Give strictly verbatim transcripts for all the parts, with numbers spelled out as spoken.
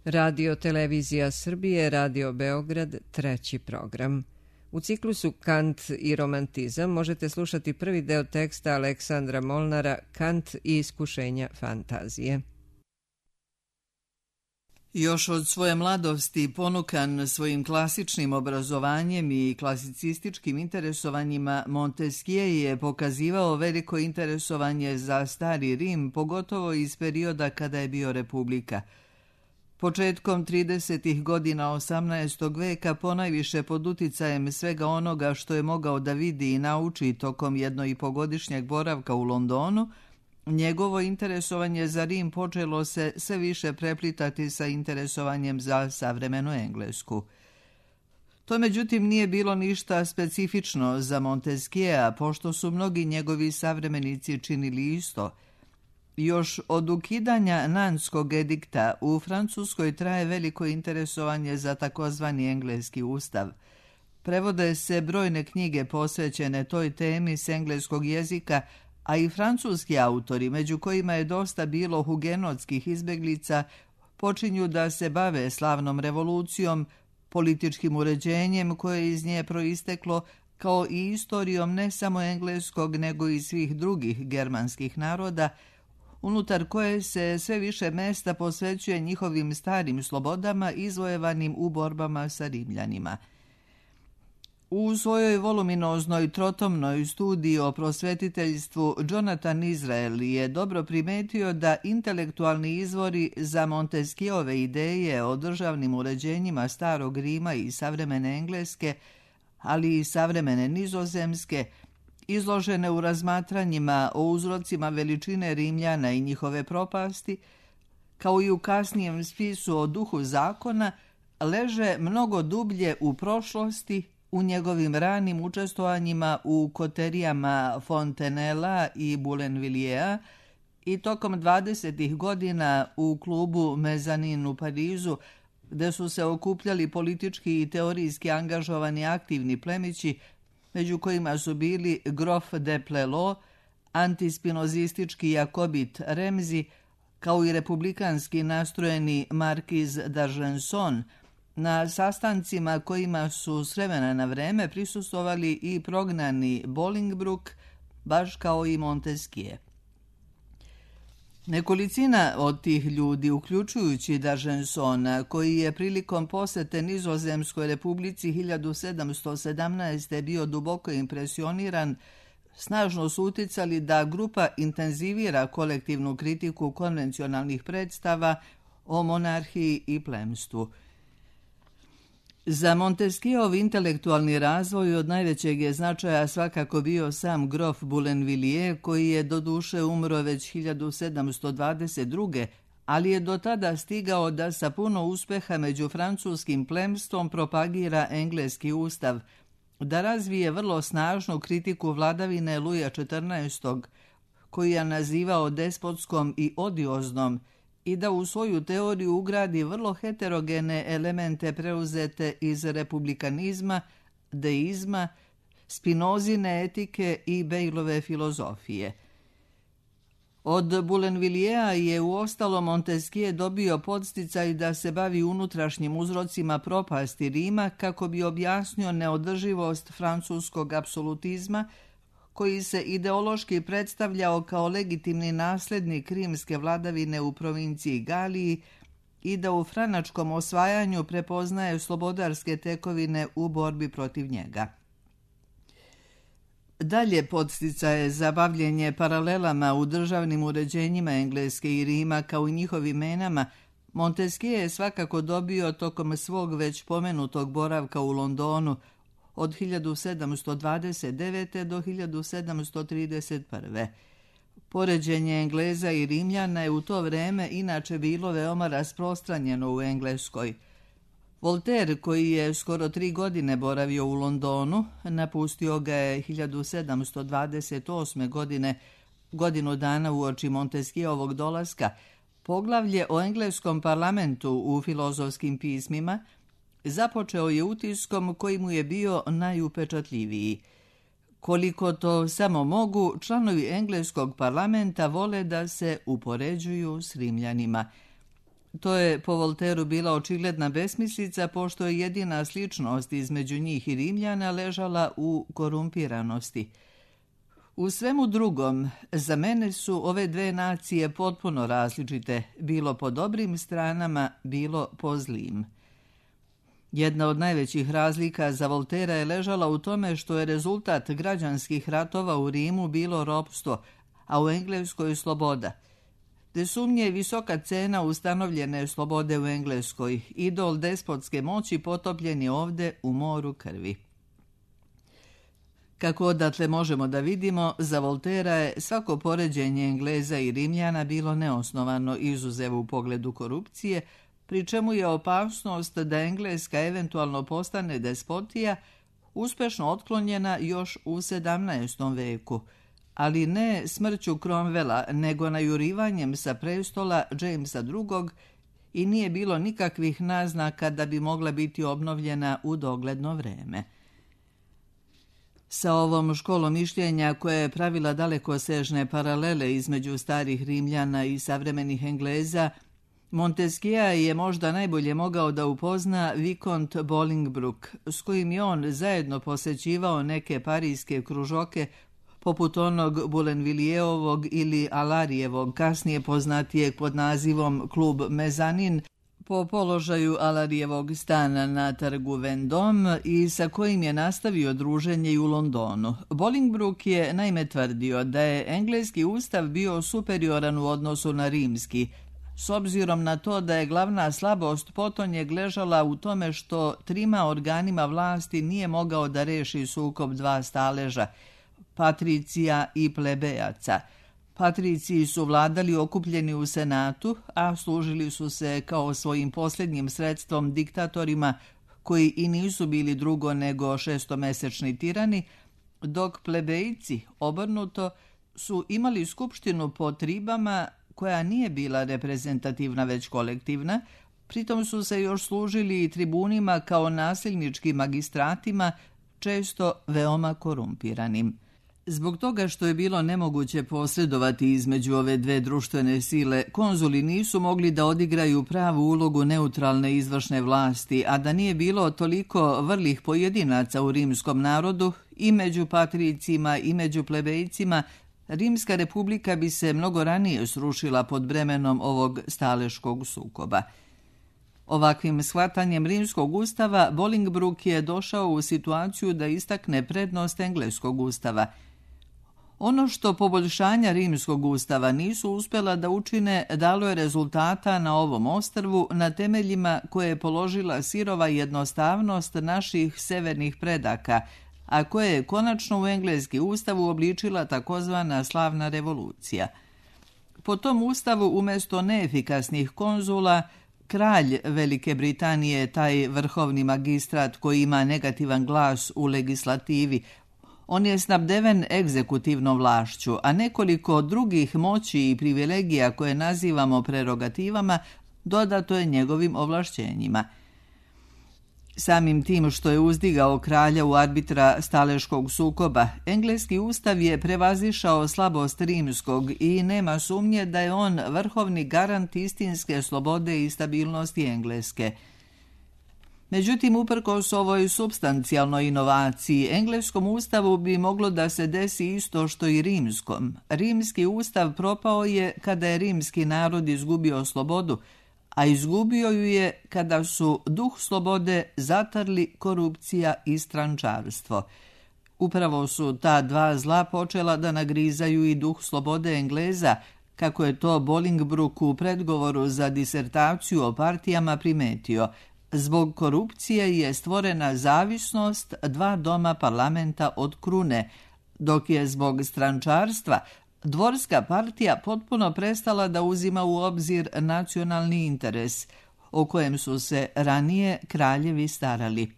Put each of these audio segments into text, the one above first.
Radio Televizija Srbije, Radio Beograd, treći program. U ciklusu Kant i romantizam možete slušati prvi deo teksta Aleksandra Molnara Kant i iskušenja fantazije. Još od svoje mladosti, ponukan svojim klasičnim obrazovanjem i klasicističkim interesovanjima, Montesquieu je pokazivao veliko interesovanje za Stari Rim, pogotovo iz perioda kada je bio republika. Početkom tridesetih godina osamnaestog veka, ponajviše pod uticajem svega onoga što je mogao da vidi i nauči tokom jednoipogodišnjeg boravka u Londonu, njegovo interesovanje za Rim počelo se sve više preplitati sa interesovanjem za savremenu Englesku. To međutim nije bilo ništa specifično za Montesquieu, pošto su mnogi njegovi savremenici činili isto. Još od ukidanja Nanskog edikta u Francuskoj traje veliko interesovanje za takozvani engleski ustav. Prevode se brojne knjige posvećene toj temi s engleskog jezika, a i francuski autori, među kojima je dosta bilo hugenotskih izbeglica, počinju da se bave slavnom revolucijom, političkim uređenjem koje je iz nje proisteklo, kao i istorijom ne samo engleskog nego i svih drugih germanskih naroda, unutar koje se sve više mesta posvećuje njihovim starim slobodama izvojevanim u borbama sa Rimljanima. U svojoj voluminoznoj trotomnoj studiji o prosvetiteljstvu Jonathan Israel je dobro primetio da intelektualni izvori za Montesquieuove ideje o državnim uređenjima starog Rima i savremene Engleske, ali i savremene Nizozemske, izložene u razmatranjima o uzrocima veličine Rimljana i njihove propasti, kao i u kasnijem spisu o duhu zakona, leže mnogo dublje u prošlosti, u njegovim ranim učestvovanjima u koterijama Fontenella i Boulainvilliers i tokom dvadesetih godina u klubu Mezanin u Parizu, gde su se okupljali politički i teorijski angažovani aktivni plemići, među kojima su bili grof de Plelo, antispinozistički jakobit Remzi, kao i republikanski nastrojeni markiz d'Argenson, na sastancima kojima su s vremena na vreme prisustvovali i prognani Bolingbroke, baš kao i Montesquieu. Nekolicina od tih ljudi, uključujući d'Argensona, koji je prilikom posete Nizozemskoj republici hiljadu sedamsto sedamnaeste. bio duboko impresioniran, snažno su uticali da grupa intenzivira kolektivnu kritiku konvencionalnih predstava o monarhiji i plemstvu. Za Montesquieuov intelektualni razvoj od najvećeg je značaja svakako bio sam grof Boulainvilliers, koji je doduše umro već hiljadu sedamsto dvadeset druge. ali je do tada stigao da sa puno uspeha među francuskim plemstvom propagira engleski ustav, da razvije vrlo snažnu kritiku vladavine Luja četrnaestog. koji je nazivao despotskom i odioznom, i da u svoju teoriju ugradi vrlo heterogene elemente preuzete iz republikanizma, deizma, Spinozine etike i Bejlove filozofije. Od Boulainvilliersa je u ostalo Montesquieu dobio podsticaj da se bavi unutrašnjim uzrocima propasti Rima kako bi objasnio neodrživost francuskog apsolutizma, koji se ideološki predstavljao kao legitimni naslednik rimske vladavine u provinciji Galiji i da u franačkom osvajanju prepoznaje slobodarske tekovine u borbi protiv njega. Dalje podsticaje za bavljenje paralelama u državnim uređenjima Engleske i Rima kao i njihovim menama Montesquieu je svakako dobio tokom svog već pomenutog boravka u Londonu od hiljadu sedamsto dvadeset devete. do hiljadu sedamsto trideset prve. Poređenje Engleza i Rimljana je u to vreme inače bilo veoma rasprostranjeno u Engleskoj. Voltaire, koji je skoro tri godine boravio u Londonu, napustio ga je hiljadu sedamsto dvadeset osme. godine, godinu dana uoči Montesquieuovog dolaska, poglavlje o engleskom parlamentu u filozofskim pismima započeo je utiskom koji mu je bio najupečatljiviji. Koliko to samo mogu, članovi engleskog parlamenta vole da se upoređuju s Rimljanima. To je po Voltairu bila očigledna besmislica, pošto je jedina sličnost između njih i Rimljana ležala u korumpiranosti. U svemu drugom, za mene su ove dve nacije potpuno različite, bilo po dobrim stranama, bilo po zlim. Jedna od najvećih razlika za Voltaira je ležala u tome što je rezultat građanskih ratova u Rimu bilo ropstvo, a u Engleskoj sloboda. Bez sumnje je visoka cena ustanovljene slobode u Engleskoj, idol despotske moći potopljen je ovde u moru krvi. Kako odatle možemo da vidimo, za Voltaira je svako poređenje Engleza i Rimljana bilo neosnovano, izuzev u pogledu korupcije, pri čemu je opasnost da Engleska eventualno postane despotija uspešno otklonjena još u sedamnaestom veku, ali ne smrću Cromwella, nego najurivanjem sa prestola Jamesa drugog i nije bilo nikakvih naznaka da bi mogla biti obnovljena u dogledno vreme. Sa ovom školom mišljenja koja je pravila dalekosežne paralele između starih Rimljana i savremenih Engleza, Montesquieu je možda najbolje mogao da upozna Vicomte Bolingbroke, s kojim je on zajedno posećivao neke parijske kružoke poput onog Boulenvilliers-ovog ili Alarijevog, kasnije poznatijeg pod nazivom Klub Mezanin, po položaju Alarijevog stana na trgu Vendôme i sa kojim je nastavio druženje i u Londonu. Bolingbroke je naime tvrdio da je engleski ustav bio superioran u odnosu na rimski, s obzirom na to da je glavna slabost potonjeg ležala u tome što trima organima vlasti nije mogao da reši sukob dva staleža, patricija i plebejaca. Patriciji su vladali okupljeni u senatu, a služili su se kao svojim posljednjim sredstvom diktatorima koji i nisu bili drugo nego šestomesečni tirani, dok plebejci, obrnuto, su imali skupštinu po tribama koja nije bila reprezentativna već kolektivna, pritom su se još služili i tribunima kao nasilničkim magistratima, često veoma korumpiranim. Zbog toga što je bilo nemoguće posredovati između ove dve društvene sile, konzuli nisu mogli da odigraju pravu ulogu neutralne izvršne vlasti, a da nije bilo toliko vrlih pojedinaca u rimskom narodu, i među patricima i među plebejcima, Rimska republika bi se mnogo ranije srušila pod bremenom ovog staleškog sukoba. Ovakvim shvatanjem rimskog ustava Bolingbroke je došao u situaciju da istakne prednost engleskog ustava. Ono što poboljšanja rimskog ustava nisu uspjela da učine dalo je rezultata na ovom ostrvu na temeljima koje je položila sirova jednostavnost naših severnih predaka, a koje je konačno u engleski ustav uobličila takozvana slavna revolucija. Po tom ustavu umjesto neefikasnih konzula, kralj Velike Britanije je taj vrhovni magistrat koji ima negativan glas u legislativi. On je snabdeven egzekutivnom vlašću, a nekoliko drugih moći i privilegija koje nazivamo prerogativama dodato je njegovim ovlašćenjima. Samim tim što je uzdigao kralja u arbitra staleškog sukoba, engleski ustav je prevazišao slabost rimskog i nema sumnje da je on vrhovni garant istinske slobode i stabilnosti Engleske. Međutim, uprkos ovoj supstancijalnoj inovaciji, engleskom ustavu bi moglo da se desi isto što i rimskom. Rimski ustav propao je kada je rimski narod izgubio slobodu, a izgubio ju je kada su duh slobode zatrli korupcija i strančarstvo. Upravo su ta dva zla počela da nagrizaju i duh slobode Engleza, kako je to Bolingbroke u predgovoru za disertaciju o partijama primetio. Zbog korupcije je stvorena zavisnost dva doma parlamenta od krune, dok je zbog strančarstva dvorska partija potpuno prestala da uzima u obzir nacionalni interes, o kojem su se ranije kraljevi starali.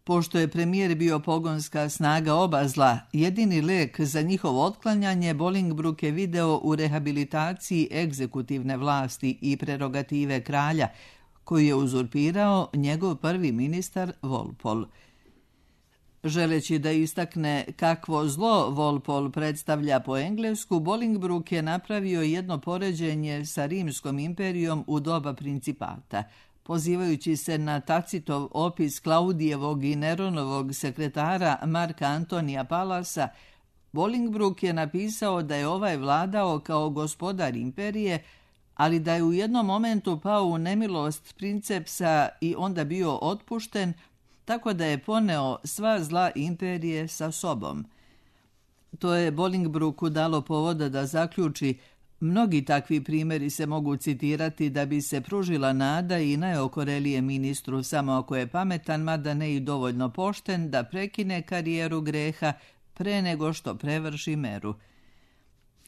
Pošto je premijer bio pogonska snaga oba zla, jedini lek za njihovo otklanjanje Bolingbroke je video u rehabilitaciji egzekutivne vlasti i prerogative kralja, koji je uzurpirao njegov prvi ministar Walpole. Želeći da istakne kakvo zlo Walpole predstavlja po englesku, Bolingbroke je napravio jedno poređenje sa Rimskom imperijom u doba principata. Pozivajući se na Tacitov opis Klaudijevog i Neronovog sekretara Marka Antonija Palasa, Bolingbroke je napisao da je ovaj vladao kao gospodar imperije, ali da je u jednom momentu pao u nemilost princepsa i onda bio otpušten, tako da je poneo sva zla imperije sa sobom. To je Bolingbroku dalo povoda da zaključi: mnogi takvi primjeri se mogu citirati da bi se pružila nada i najokorelije ministru, samo ako je pametan, mada ne i dovoljno pošten, da prekine karijeru greha pre nego što prevrši meru.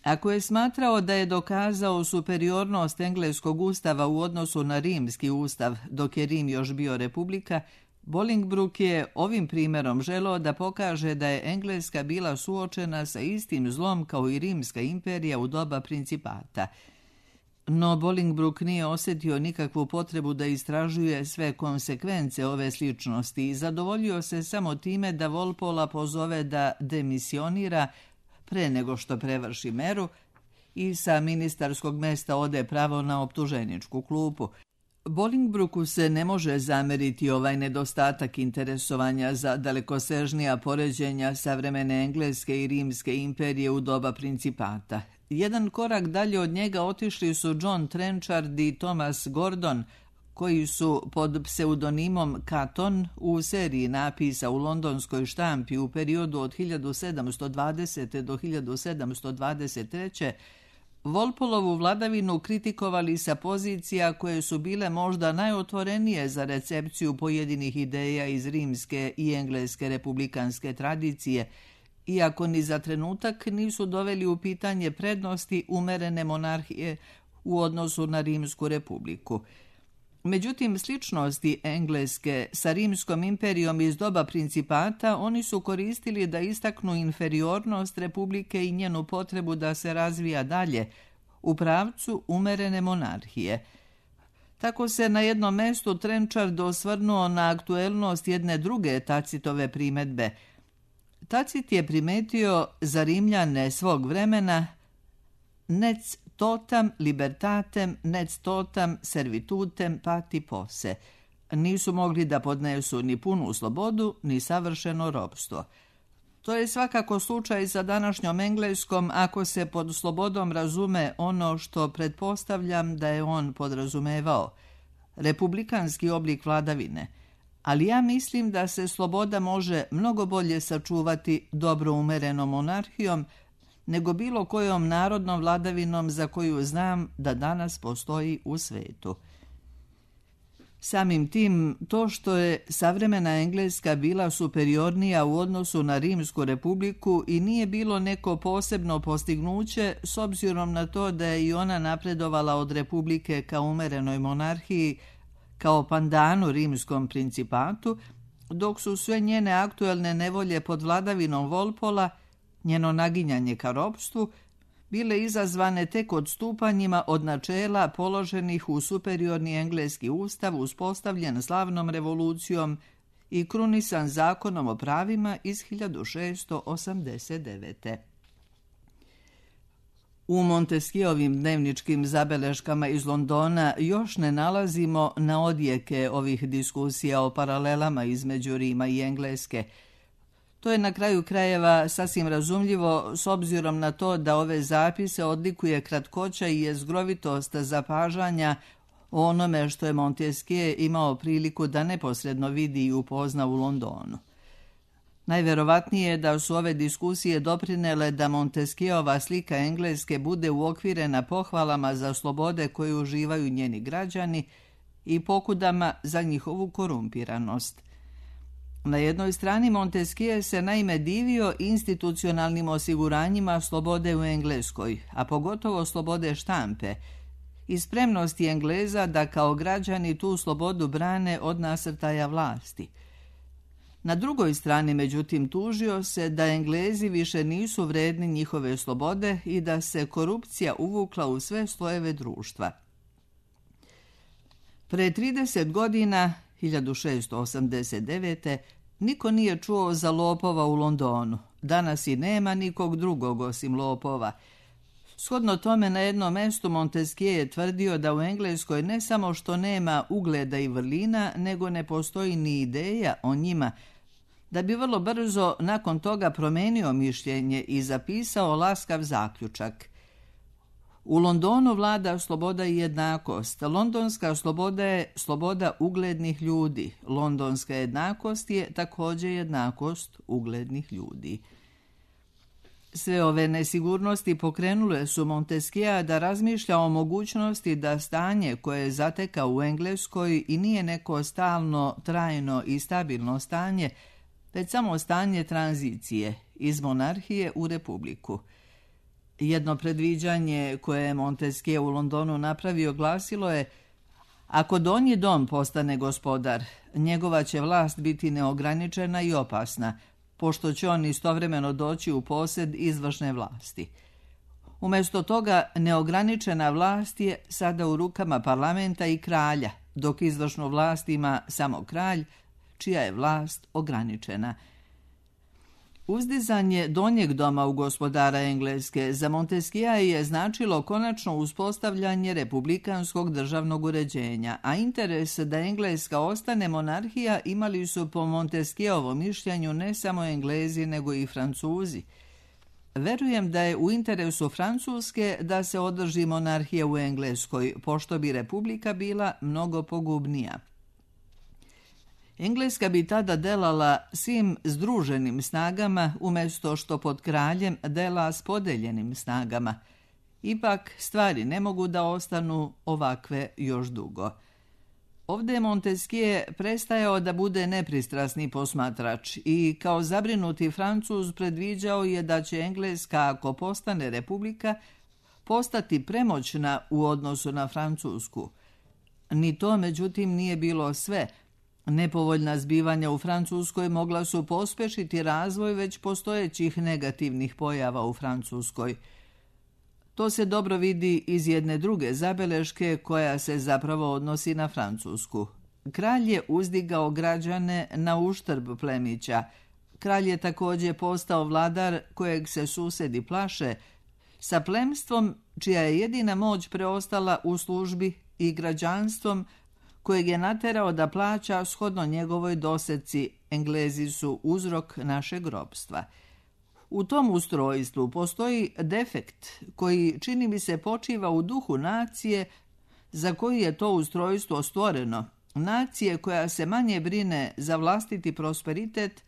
Ako je smatrao da je dokazao superiornost engleskog ustava u odnosu na rimski ustav, dok je Rim još bio republika, Bolingbroke je ovim primjerom želeo da pokaže da je Engleska bila suočena sa istim zlom kao i Rimska imperija u doba principata. No Bolingbroke nije osjetio nikakvu potrebu da istražuje sve konsekvence ove sličnosti i zadovoljio se samo time da Walpola pozove da demisionira pre nego što prevrši meru i sa ministarskog mesta ode pravo na optuženičku klupu. Bolingbroku se ne može zameriti ovaj nedostatak interesovanja za dalekosežnija poređenja savremene Engleske i Rimske imperije u doba principata. Jedan korak dalje od njega otišli su John Trenchard i Thomas Gordon, koji su pod pseudonimom Caton u seriji napisa u londonskoj štampi u periodu od hiljadu sedamsto dvadesete. do hiljadu sedamsto dvadeset treće. Walpoleovu vladavinu kritikovali sa pozicija koje su bile možda najotvorenije za recepciju pojedinih ideja iz rimske i engleske republikanske tradicije, iako ni za trenutak nisu doveli u pitanje prednosti umerene monarhije u odnosu na Rimsku republiku. Međutim, sličnosti Engleske sa Rimskom imperijom iz doba principata oni su koristili da istaknu inferiornost republike i njenu potrebu da se razvija dalje u pravcu umerene monarhije. Tako se na jednom mestu Trenchard osvrnuo na aktuelnost jedne druge Tacitove primedbe. Tacit je primetio za Rimljane svog vremena nec totam libertatem, nec totam servitutem pati posse. Nisu mogli da podnesu ni punu slobodu, ni savršeno ropstvo. To je svakako slučaj sa današnjom Engleskom ako se pod slobodom razume ono što pretpostavljam da je on podrazumevao, republikanski oblik vladavine. Ali ja mislim da se sloboda može mnogo bolje sačuvati dobro umerenom monarhijom nego bilo kojom narodnom vladavinom za koju znam da danas postoji u svetu. Samim tim, to što je savremena Engleska bila superiornija u odnosu na Rimsku republiku i nije bilo neko posebno postignuće s obzirom na to da je i ona napredovala od republike ka umerenoj monarhiji, kao pandanu Rimskom principatu, dok su sve njene aktuelne nevolje pod vladavinom Walpola, njeno naginjanje ka ropstvu, bile izazvane tek odstupanjima od načela položenih u superiorni engleski ustav uspostavljen slavnom revolucijom i krunisan zakonom o pravima iz hiljadu šeststo osamdeset devete. U Montesquieuovim dnevničkim zabeleškama iz Londona još ne nalazimo na odjeke ovih diskusija o paralelama između Rima i Engleske. To je na kraju krajeva sasvim razumljivo s obzirom na to da ove zapise odlikuje kratkoća i jezgrovitost zapažanja o onome što je Montesquieu imao priliku da neposredno vidi i upozna u Londonu. Najverovatnije je da su ove diskusije doprinele da Montesquieuova slika Engleske bude uokvirena pohvalama za slobode koje uživaju njeni građani i pokudama za njihovu korumpiranost. Na jednoj strani Montesquieu se naime divio institucionalnim osiguranjima slobode u Engleskoj, a pogotovo slobode štampe, i spremnosti Engleza da kao građani tu slobodu brane od nasrtaja vlasti. Na drugoj strani, međutim, tužio se da Englezi više nisu vredni njihove slobode i da se korupcija uvukla u sve slojeve društva. Pre trideset godina, hiljadu šeststo osamdeset devete. Niko nije čuo za lopova u Londonu. Danas i nema nikog drugog osim lopova. Shodno tome, na jednom mestu Montesquieu je tvrdio da u Engleskoj ne samo što nema ugleda i vrlina, nego ne postoji ni ideja o njima, da bi vrlo brzo nakon toga promenio mišljenje i zapisao laskav zaključak. U Londonu vlada sloboda i jednakost. Londonska sloboda je sloboda uglednih ljudi. Londonska jednakost je također jednakost uglednih ljudi. Sve ove nesigurnosti pokrenule su Montesquieu da razmišlja o mogućnosti da stanje koje je zatekao u Engleskoj i nije neko stalno, trajno i stabilno stanje, već samo stanje tranzicije iz monarhije u republiku. Jedno predviđanje koje je Montesquieu u Londonu napravio glasilo je: ako Donji dom postane gospodar, njegova će vlast biti neograničena i opasna, pošto će on istovremeno doći u posjed izvršne vlasti. Umjesto toga, neograničena vlast je sada u rukama parlamenta i kralja, dok izvršnu vlast ima samo kralj, čija je vlast ograničena. Uzdizanje Donjeg doma u gospodara Engleske za Montesquieu je značilo konačno uspostavljanje republikanskog državnog uređenja, a interes da Engleska ostane monarhija imali su po Montesquieuovom mišljenju ne samo Englezi nego i Francuzi. Verujem da je u interesu Francuske da se održi monarhija u Engleskoj, pošto bi republika bila mnogo pogubnija. Engleska bi tada delala svim združenim snagama, umjesto što pod kraljem dela s podeljenim snagama. Ipak stvari ne mogu da ostanu ovakve još dugo. Ovdje je Montesquieu prestajao da bude nepristrasni posmatrač i kao zabrinuti Francuz predviđao je da će Engleska, ako postane republika, postati premoćna u odnosu na Francusku. Ni to, međutim, nije bilo sve. Nepovoljna zbivanja u Francuskoj mogla su pospešiti razvoj već postojećih negativnih pojava u Francuskoj. To se dobro vidi iz jedne druge zabeleške koja se zapravo odnosi na Francusku. Kralj je uzdigao građane na uštrb plemića. Kralj je također postao vladar kojeg se susedi plaše, sa plemstvom čija je jedina moć preostala u službi i građanstvom kojeg je naterao da plaća shodno njegovoj doseci. Englezi su uzrok našeg ropstva. U tom ustrojstvu postoji defekt koji, čini mi se, počiva u duhu nacije za koju je to ustrojstvo stvoreno, nacije koja se manje brine za vlastiti prosperitet,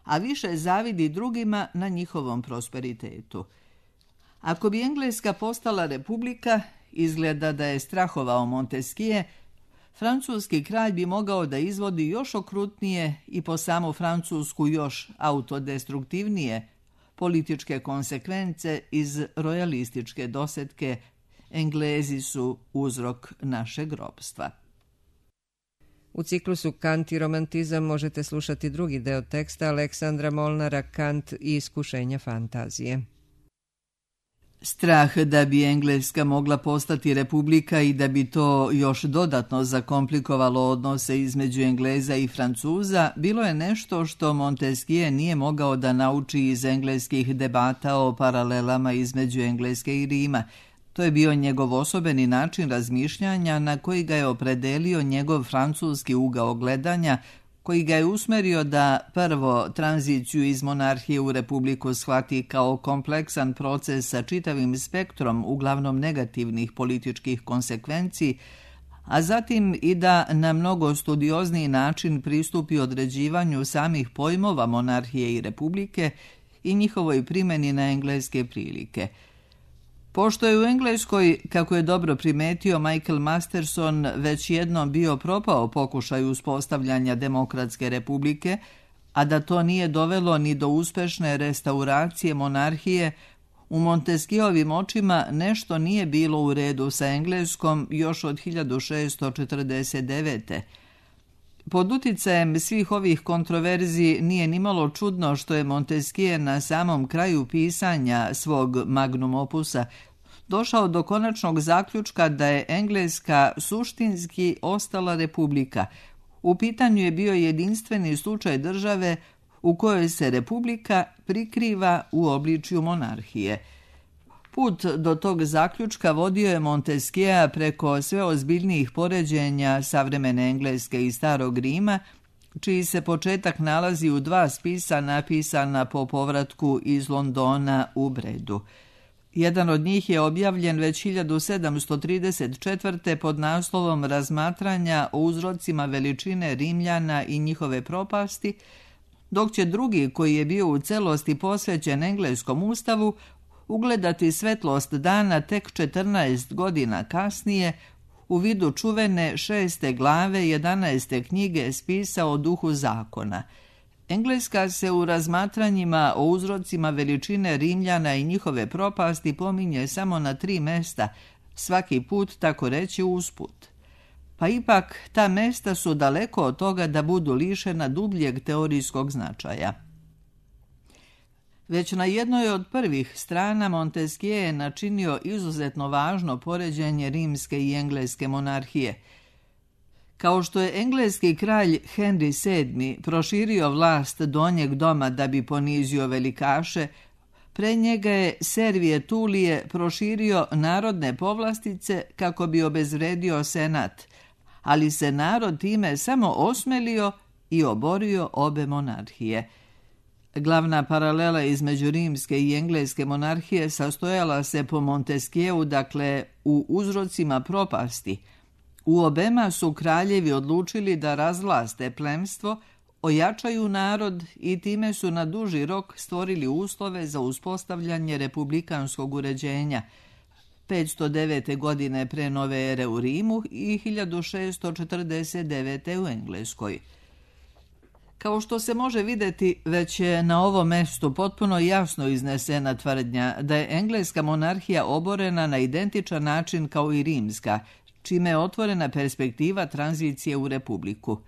a više zavidi drugima na njihovom prosperitetu. Ako bi Engleska postala republika, izgleda da je strahovao Montesquieu, francuski kralj bi mogao da izvodi još okrutnije i po samu Francusku još autodestruktivnije političke konsekvence iz rojalističke dosetke Englezi su uzrok našeg ropstva. U ciklusu Kant i romantizam možete slušati drugi deo teksta Aleksandra Molnara Kant i iskušenja fantazije. Strah da bi Engleska mogla postati republika i da bi to još dodatno zakomplikovalo odnose između Engleza i Francuza bilo je nešto što Montesquieu nije mogao da nauči iz engleskih debata o paralelama između Engleske i Rima. To je bio njegov osobeni način razmišljanja na koji ga je opredelio njegov francuski ugao gledanja, koji ga je usmerio da prvo tranziciju iz monarhije u republiku shvati kao kompleksan proces sa čitavim spektrom uglavnom negativnih političkih konsekvenciji, a zatim i da na mnogo studiozniji način pristupi određivanju samih pojmova monarhije i republike i njihovoj primjeni na engleske prilike. Pošto je u Engleskoj, kako je dobro primetio Michael Masterson, već jednom bio propao pokušaj uspostavljanja demokratske republike, a da to nije dovelo ni do uspešne restauracije monarhije, u Montesquieuovim očima nešto nije bilo u redu sa Engleskom još od hiljadu šeststo četrdeset devete. Pod uticajem svih ovih kontroverzi nije nimalo čudno što je Montesquieu na samom kraju pisanja svog magnum opusa došao do konačnog zaključka da je Engleska suštinski ostala republika, U pitanju je bio jedinstveni slučaj države u kojoj se republika prikriva u obličju monarhije. Put do tog zaključka vodio je Montesquieu preko sve ozbiljnijih poređenja savremene Engleske i Starog Rima, čiji se početak nalazi u dva spisa napisana po povratku iz Londona u Bredu. Jedan od njih je objavljen već hiljadu sedamsto trideset četvrte pod naslovom Razmatranja o uzrocima veličine Rimljana i njihove propasti, dok će drugi, koji je bio u celosti posvećen engleskom ustavu, ugledati svetlost dana tek četrnaest godina kasnije u vidu čuvene šeste glave jedanaeste knjige spisa o duhu zakona. Engleska se u razmatranjima o uzrocima veličine Rimljana i njihove propasti pominje samo na tri mesta, svaki put tako reći usput. Pa ipak ta mesta su daleko od toga da budu lišena dubljeg teorijskog značaja. Već na jednoj od prvih strana Montesquieu je načinio izuzetno važno poređenje rimske i engleske monarhije. Kao što je engleski kralj Henry sedmi proširio vlast donjeg doma da bi ponizio velikaše, pre njega je Servije Tulije proširio narodne povlastice kako bi obezvredio senat, ali se narod time samo osmelio i oborio obe monarhije. Glavna paralela između rimske i engleske monarhije sastojala se po Montesquieu, dakle, u uzrocima propasti. U obema su kraljevi odlučili da razvlaste plemstvo, ojačaju narod i time su na duži rok stvorili uslove za uspostavljanje republikanskog uređenja petsto devete. godine pre nove ere u Rimu i hiljadu šessto četrdeset devete. u Engleskoj. Kao što se može vidjeti, već je na ovom mestu potpuno jasno iznesena tvrdnja da je engleska monarhija oborena na identičan način kao i rimska, čime je otvorena perspektiva tranzicije u republiku.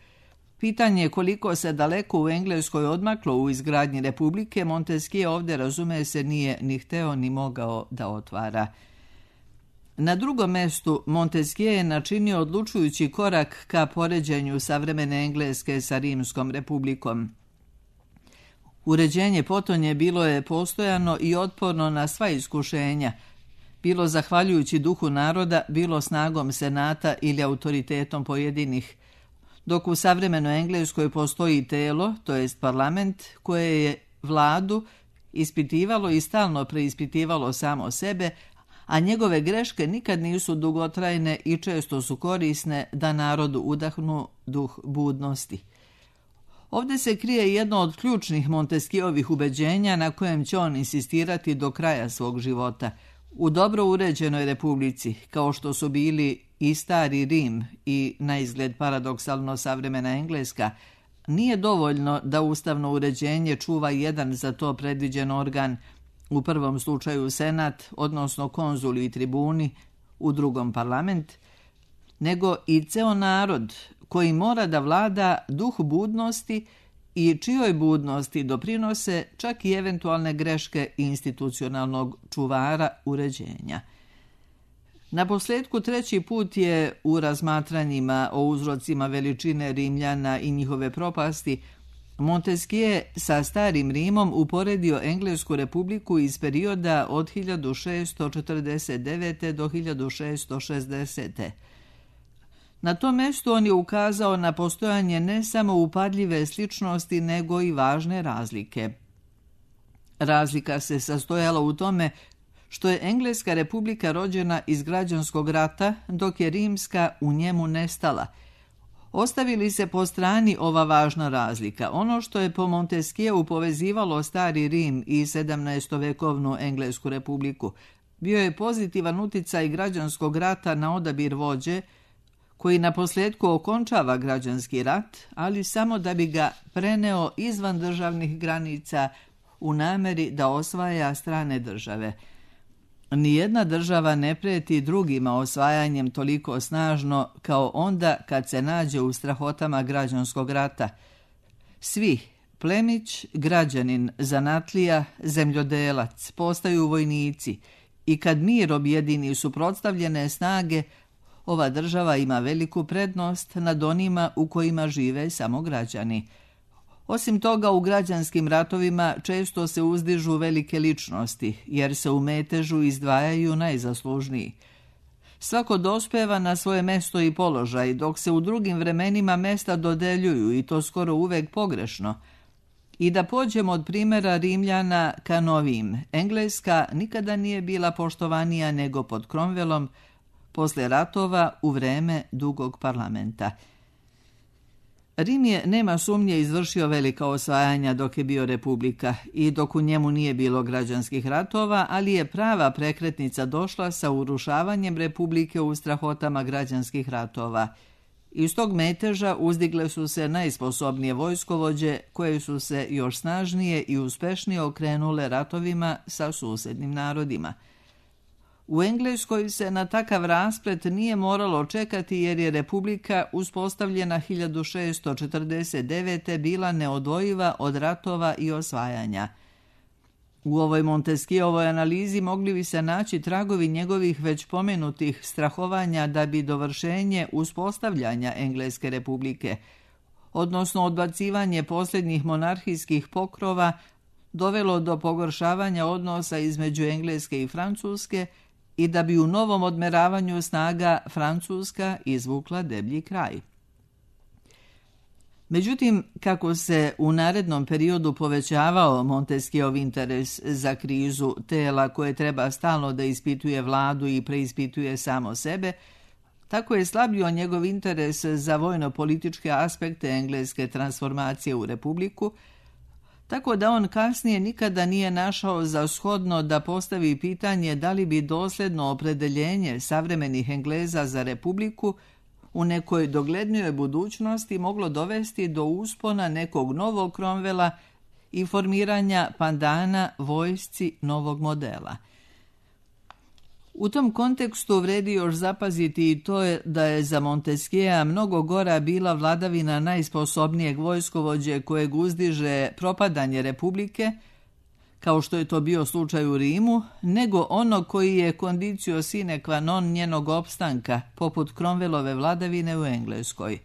Pitanje koliko se daleko u Engleskoj odmaklo u izgradnji republike, Montesquieu ovdje, razume se, nije ni hteo ni mogao da otvara. Na drugom mestu Montesquieu je načinio odlučujući korak ka poređenju savremene Engleske sa Rimskom republikom. Uređenje potonje bilo je postojano i otporno na sva iskušenja, bilo zahvaljujući duhu naroda, bilo snagom senata ili autoritetom pojedinih, dok u savremenoj Engleskoj postoji telo, to jest parlament, koje je vladu ispitivalo i stalno preispitivalo samo sebe, a njegove greške nikad nisu dugotrajne i često su korisne da narodu udahnu duh budnosti. Ovdje se krije jedno od ključnih Montesquieuovih ubeđenja na kojem će on insistirati do kraja svog života. U dobro uređenoj republici, kao što su bili i stari Rim i na izgled paradoksalno savremena Engleska, nije dovoljno da ustavno uređenje čuva jedan za to predviđen organ, u prvom slučaju senat, odnosno konzuli i tribuni, u drugom parlament, nego i ceo narod koji mora da vlada duh budnosti i čijoj budnosti doprinose čak i eventualne greške institucionalnog čuvara uređenja. Na posljedku treći put je u razmatranjima o uzrocima veličine Rimljana i njihove propasti Montesquieu sa starim Rimom uporedio Englesku republiku iz perioda od hiljadu šessto četrdeset devete. do hiljadu šessto šezdesete. Na tom mjestu on je ukazao na postojanje ne samo upadljive sličnosti, nego i važne razlike. Razlika se sastojala u tome što je Engleska republika rođena iz građanskog rata, dok je Rimska u njemu nestala. Ostavili se po strani ova važna razlika. Ono što je po Montesquieu povezivalo stari Rim i sedamnaestovekovnu Englesku republiku bio je pozitivan uticaj građanskog rata na odabir vođe, koji na posljedku okončava građanski rat, ali samo da bi ga preneo izvan državnih granica u nameri da osvaja strane države. Nijedna država ne prijeti drugima osvajanjem toliko snažno kao onda kad se nađe u strahotama građanskog rata. Svi, plemić, građanin, zanatlija, zemljodelac, postaju vojnici i kad mir objedini suprotstavljene snage, ova država ima veliku prednost nad onima u kojima žive samo građani. Osim toga, u građanskim ratovima često se uzdižu velike ličnosti, jer se u metežu izdvajaju najzaslužniji. Svako dospeva na svoje mesto i položaj, dok se u drugim vremenima mesta dodeljuju i to skoro uvek pogrešno. I da pođemo od primjera Rimljana ka novim, Engleska nikada nije bila poštovanija nego pod Cromwellom, posle ratova u vreme dugog parlamenta. Rim je, nema sumnje, izvršio velika osvajanja dok je bio republika i dok u njemu nije bilo građanskih ratova, ali je prava prekretnica došla sa urušavanjem republike u strahotama građanskih ratova. Iz tog meteža uzdigle su se najsposobnije vojskovođe koje su se još snažnije i uspešnije okrenule ratovima sa susednim narodima. U Engleskoj se na takav rasplet nije moralo čekati jer je republika uspostavljena hiljadu šessto četrdeset devete bila neodvojiva od ratova i osvajanja. U ovoj Montesquieuovoj analizi mogli bi se naći tragovi njegovih već pomenutih strahovanja da bi dovršenje uspostavljanja Engleske republike, odnosno odbacivanje posljednjih monarhijskih pokrova, dovelo do pogoršavanja odnosa između Engleske i Francuske i da bi u novom odmeravanju snaga Francuska izvukla deblji kraj. Međutim, kako se u narednom periodu povećavao Montesquieuov interes za krizu tela koje treba stalno da ispituje vladu i preispituje samo sebe, tako je slabio njegov interes za vojno-političke aspekte engleske transformacije u republiku, tako da on kasnije nikada nije našao za shodno da postavi pitanje da li bi dosljedno opredeljenje savremenih Engleza za republiku u nekoj doglednijoj budućnosti moglo dovesti do uspona nekog novog Cromwella i formiranja pandana vojsci novog modela. U tom kontekstu vredi još zapaziti i to je da je za Montesquieu'a mnogo gora bila vladavina najsposobnijeg vojskovođe kojeg uzdiže propadanje republike, kao što je to bio slučaj u Rimu, nego ono koji je condicio sine qua non njenog opstanka, poput Cromwellove vladavine u Engleskoj.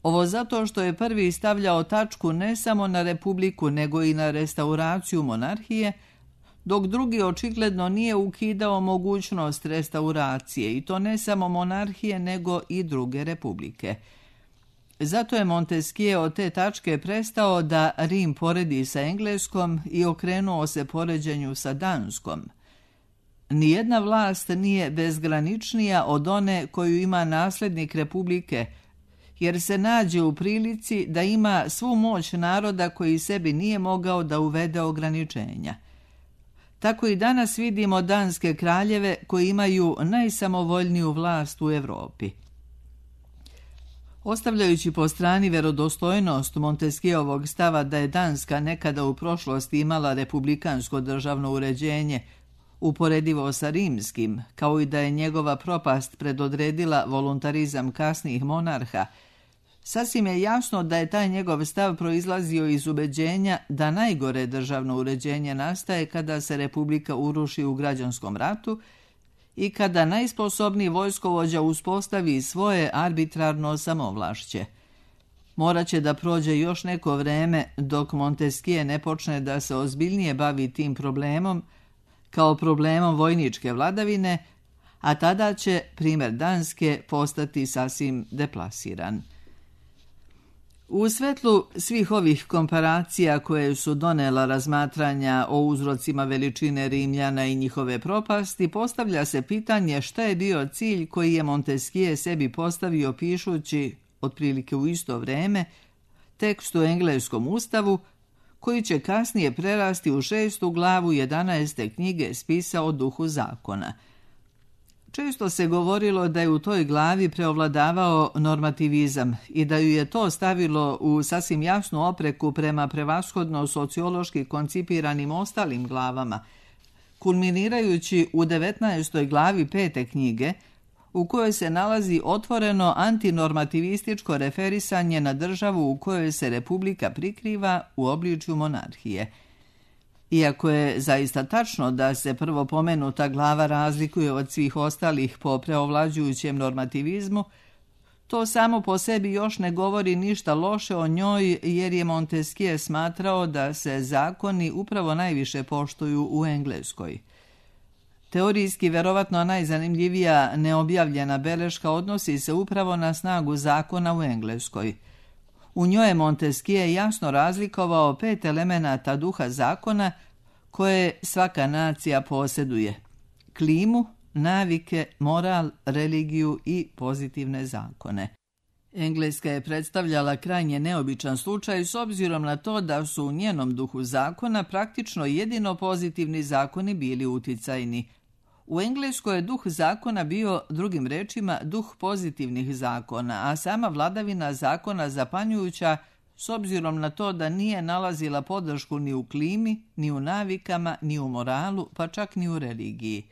Ovo zato što je prvi stavljao tačku ne samo na republiku, nego i na restauraciju monarhije, dok drugi očigledno nije ukidao mogućnost restauracije, i to ne samo monarhije, nego i druge republike. Zato je Montesquieu od te tačke prestao da Rim poredi sa Engleskom i okrenuo se poređenju sa Danskom. Nijedna vlast nije bezgraničnija od one koju ima nasljednik republike, jer se nađe u prilici da ima svu moć naroda koji sebi nije mogao da uvede ograničenja. Tako i danas vidimo danske kraljeve koji imaju najsamovoljniju vlast u Evropi. Ostavljajući po strani verodostojnost Montesquieuovog stava da je Danska nekada u prošlosti imala republikansko državno uređenje, uporedivo sa rimskim, kao i da je njegova propast predodredila voluntarizam kasnijih monarha, sasvim je jasno da je taj njegov stav proizlazio iz ubeđenja da najgore državno uređenje nastaje kada se republika uruši u građanskom ratu i kada najsposobniji vojskovođa uspostavi svoje arbitrarno samovlašće. Moraće da prođe još neko vreme dok Montesquieu ne počne da se ozbiljnije bavi tim problemom kao problemom vojničke vladavine, a tada će primjer Danske postati sasvim deplasiran. U svetlu svih ovih komparacija koje su donela razmatranja o uzrocima veličine Rimljana i njihove propasti, postavlja se pitanje šta je bio cilj koji je Montesquieu sebi postavio pišući, otprilike u isto vreme, tekst u engleskom ustavu, koji će kasnije prerasti u šestu glavu jedanaeste knjige spisa o duhu zakona. Često se govorilo da je u toj glavi preovladavao normativizam i da ju je to stavilo u sasvim jasnu opreku prema prevashodno sociološki koncipiranim ostalim glavama, kulminirajući u devetnaestoj glavi pete knjige, u kojoj se nalazi otvoreno antinormativističko referisanje na državu u kojoj se republika prikriva u obličju monarhije. Iako je zaista tačno da se prvo pomenuta glava razlikuje od svih ostalih po preovlađujućem normativizmu, to samo po sebi još ne govori ništa loše o njoj, jer je Montesquieu smatrao da se zakoni upravo najviše poštuju u Engleskoj. Teorijski verovatno najzanimljivija neobjavljena beleška odnosi se upravo na snagu zakona u Engleskoj. U njoj je Montesquieu jasno razlikovao pet elemenata duha zakona koje svaka nacija posjeduje: klimu, navike, moral, religiju i pozitivne zakone. Engleska je predstavljala krajnje neobičan slučaj s obzirom na to da su u njenom duhu zakona praktično jedino pozitivni zakoni bili uticajni. U Engleskoj je duh zakona bio, drugim rečima, duh pozitivnih zakona, a sama vladavina zakona zapanjujuća s obzirom na to da nije nalazila podršku ni u klimi, ni u navikama, ni u moralu, pa čak ni u religiji.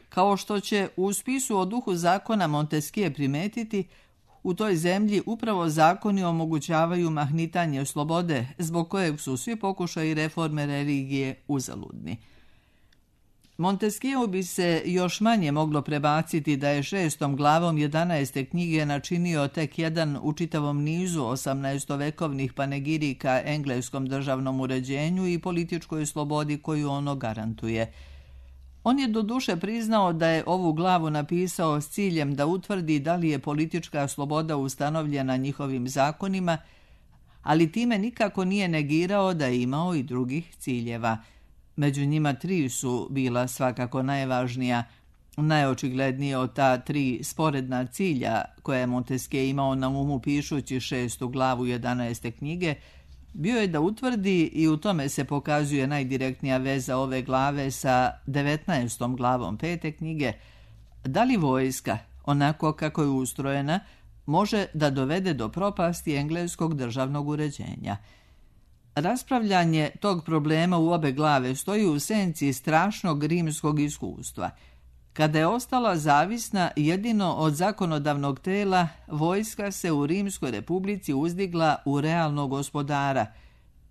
Kao što će u spisu o duhu zakona Montesquieu primetiti, u toj zemlji upravo zakoni omogućavaju mahnitanje slobode, zbog kojeg su svi pokušaji reforme religije uzaludni. Montesquieu bi se još manje moglo prebaciti da je šestom glavom jedanaeste knjige načinio tek jedan u čitavom nizu osamnaestovekovnih panegirika engleskom državnom uređenju i političkoj slobodi koju ono garantuje. On je doduše priznao da je ovu glavu napisao s ciljem da utvrdi da li je politička sloboda ustanovljena njihovim zakonima, ali time nikako nije negirao da je imao i drugih ciljeva. Među njima tri su bila svakako najvažnija. Najočiglednije od ta tri sporedna cilja koje je Montesquieu imao na umu pišući šestu glavu jedanaeste knjige, bio je da utvrdi, i u tome se pokazuje najdirektnija veza ove glave sa devetnaestom glavom pete knjige, da li vojska, onako kako je ustrojena, može da dovede do propasti engleskog državnog uređenja. Raspravljanje tog problema u obe glave stoji u senci strašnog rimskog iskustva. Kada je ostala zavisna jedino od zakonodavnog tela, vojska se u Rimskoj republici uzdigla u realnog gospodara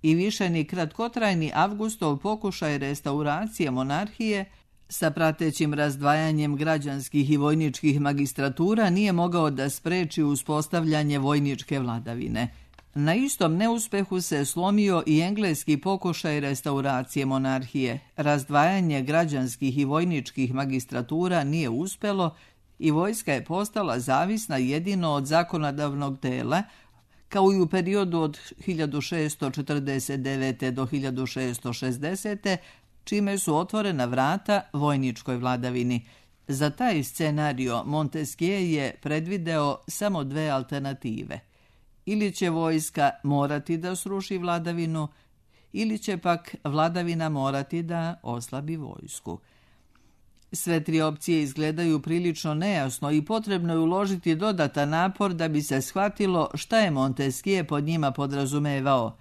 i više ni kratkotrajni Avgustov pokušaj restauracije monarhije sa pratećim razdvajanjem građanskih i vojničkih magistratura nije mogao da spreči uspostavljanje vojničke vladavine. Na istom neuspehu se slomio i engleski pokušaj restauracije monarhije. Razdvajanje građanskih i vojničkih magistratura nije uspelo i vojska je postala zavisna jedino od zakonodavnog tela, kao i u periodu od hiljadu šeststo četrdeset devete. do hiljadu šeststo šezdesete. čime su otvorena vrata vojničkoj vladavini. Za taj scenario Montesquieu je predvideo samo dve alternative. Ili će vojska morati da sruši vladavinu, ili će pak vladavina morati da oslabi vojsku. Sve tri opcije izgledaju prilično nejasno i potrebno je uložiti dodatan napor da bi se shvatilo šta je Montesquieu pod njima podrazumevao.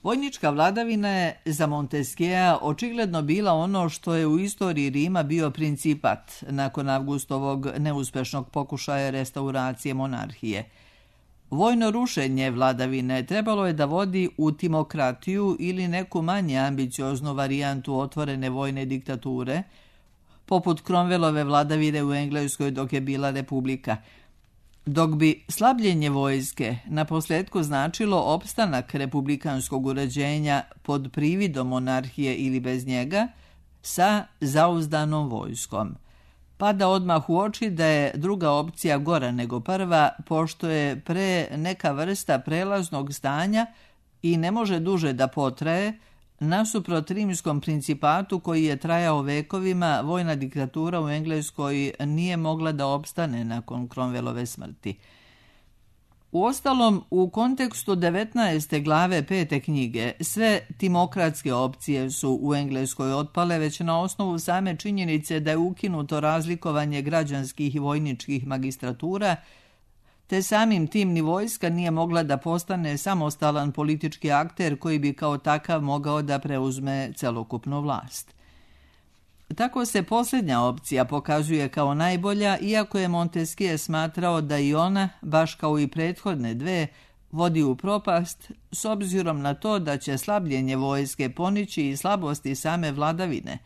Vojnička vladavina je za Montesquieu očigledno bila ono što je u istoriji Rima bio principat nakon Avgustovog neuspešnog pokušaja restauracije monarhije. Vojno rušenje vladavine trebalo je da vodi u timokratiju ili neku manje ambicioznu varijantu otvorene vojne diktature, poput Cromwellove vladavine u Engleskoj dok je bila republika. Dok bi slabljenje vojske na posljedku značilo opstanak republikanskog uređenja pod prividom monarhije ili bez njega, sa zauzdanom vojskom. Pada odmah u oči da je druga opcija gora nego prva, pošto je pre neka vrsta prelaznog stanja i ne može duže da potraje. Nasuprot rimskom principatu koji je trajao vekovima, vojna diktatura u Engleskoj nije mogla da opstane nakon Cromwellove smrti. Uostalom, u kontekstu devetnaeste glave pete knjige, sve timokratske opcije su u Engleskoj otpale već na osnovu same činjenice da je ukinuto razlikovanje građanskih i vojničkih magistratura, te samim tim ni vojska nije mogla da postane samostalan politički akter koji bi kao takav mogao da preuzme celokupnu vlast. Tako se posljednja opcija pokazuje kao najbolja, iako je Montesquieu smatrao da i ona, baš kao i prethodne dve, vodi u propast s obzirom na to da će slabljenje vojske ponići i slabosti same vladavine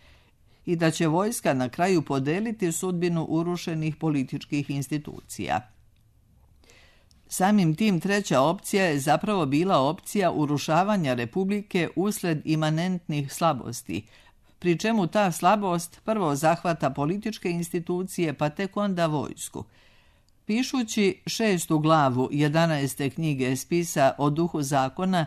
i da će vojska na kraju podeliti sudbinu urušenih političkih institucija. Samim tim treća opcija je zapravo bila opcija urušavanja Republike usled imanentnih slabosti, pri čemu ta slabost prvo zahvata političke institucije pa tek onda vojsku. Pišući šestu glavu jedanaeste knjige spisa o duhu zakona,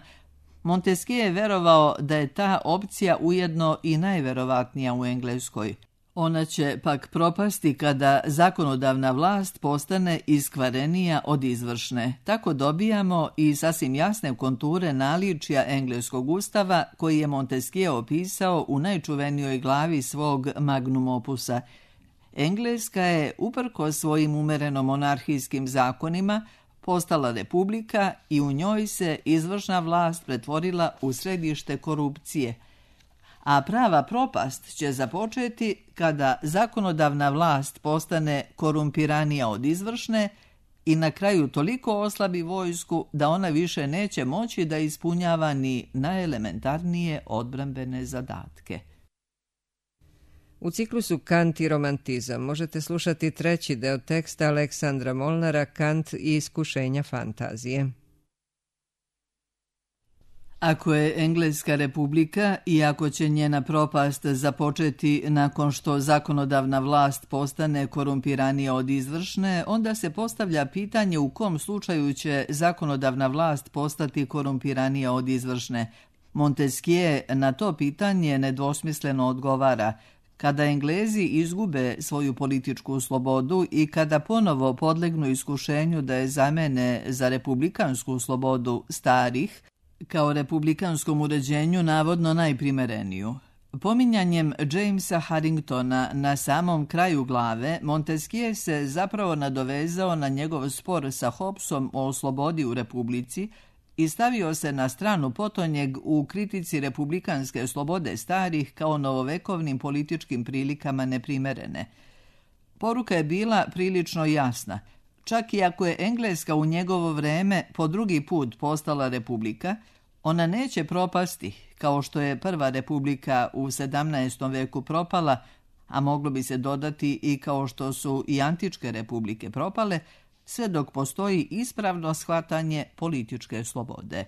Montesquieu je verovao da je ta opcija ujedno i najverovatnija u Engleskoj. Ona će pak propasti kada zakonodavna vlast postane iskvarenija od izvršne. Tako dobijamo i sasvim jasne konture naličja engleskog ustava koji je Montesquieu opisao u najčuvenijoj glavi svog magnum opusa. Engleska je, uprko svojim umereno monarhijskim zakonima, postala republika i u njoj se izvršna vlast pretvorila u središte korupcije. A prava propast će započeti kada zakonodavna vlast postane korumpiranija od izvršne i na kraju toliko oslabi vojsku da ona više neće moći da ispunjava ni najelementarnije odbrambene zadatke. U ciklusu Kant i romantizam možete slušati treći deo teksta Aleksandra Molnara Kant i iskušenja fantazije. Ako je Engleska republika i ako će njena propast započeti nakon što zakonodavna vlast postane korumpiranija od izvršne, onda se postavlja pitanje u kom slučaju će zakonodavna vlast postati korumpiranija od izvršne. Montesquieu na to pitanje nedvosmisleno odgovara: kada Englezi izgube svoju političku slobodu i kada ponovo podlegnu iskušenju da je zamene za republikansku slobodu starih, kao republikanskom uređenju navodno najprimereniju. Pominjanjem Jamesa Harringtona na samom kraju glave, Montesquieu se zapravo nadovezao na njegov spor sa Hobbesom o slobodi u republici i stavio se na stranu potonjeg u kritici republikanske slobode starih kao novovekovnim političkim prilikama neprimerene. Poruka je bila prilično jasna. Čak i ako je Engleska u njegovo vreme po drugi put postala republika, ona neće propasti, kao što je prva republika u sedamnaestom veku propala, a moglo bi se dodati i kao što su i antičke republike propale, sve dok postoji ispravno shvatanje političke slobode.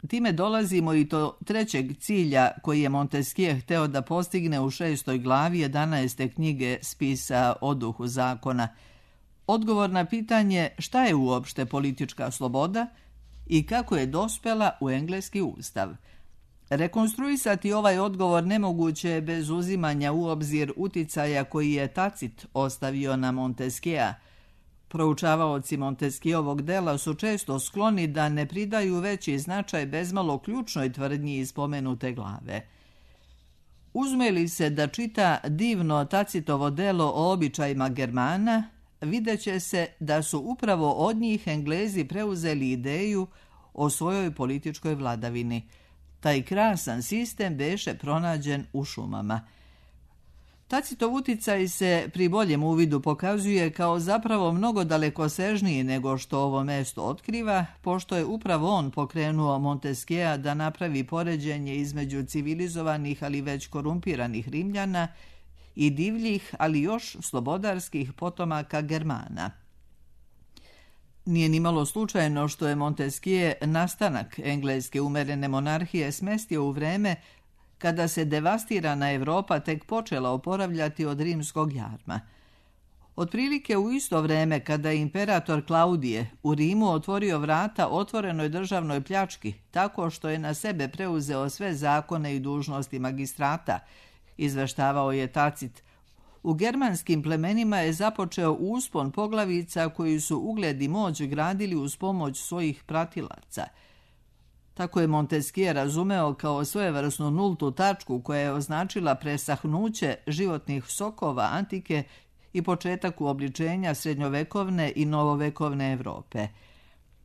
Time dolazimo i do trećeg cilja koji je Montesquieu hteo da postigne u šestoj glavi jedanaeste knjige spisa o duhu zakona. Odgovor na pitanje šta je uopšte politička sloboda i kako je dospela u engleski ustav. Rekonstruisati ovaj odgovor nemoguće je bez uzimanja u obzir uticaja koji je Tacit ostavio na Montesquieu. Proučavaoci Montesquieuovog dela su često skloni da ne pridaju veći značaj bezmalo ključnoj tvrdnji iz spomenute glave. Uzme li se da čita divno Tacitovo delo o običajima Germana, vidjet će se da su upravo od njih Englezi preuzeli ideju o svojoj političkoj vladavini. Taj krasan sistem beše pronađen u šumama. Tacitov uticaj se pri boljem uvidu pokazuje kao zapravo mnogo dalekosežniji nego što ovo mesto otkriva, pošto je upravo on pokrenuo Montesquieu da napravi poređenje između civilizovanih ali već korumpiranih Rimljana i divljih, ali još slobodarskih potomaka Germana. Nije nimalo slučajno što je Montesquieu nastanak engleske umerene monarhije smestio u vreme kada se devastirana Evropa tek počela oporavljati od rimskog jarma. Otprilike u isto vreme kada je imperator Klaudije u Rimu otvorio vrata otvorenoj državnoj pljački tako što je na sebe preuzeo sve zakone i dužnosti magistrata, izveštavao je Tacit, u germanskim plemenima je započeo uspon poglavica koji su ugled i moć gradili uz pomoć svojih pratilaca. Tako je Montesquieu razumeo kao svojevrsnu nultu tačku koja je označila presahnuće životnih sokova antike i početak uobličenja srednjovekovne i novovekovne Evrope.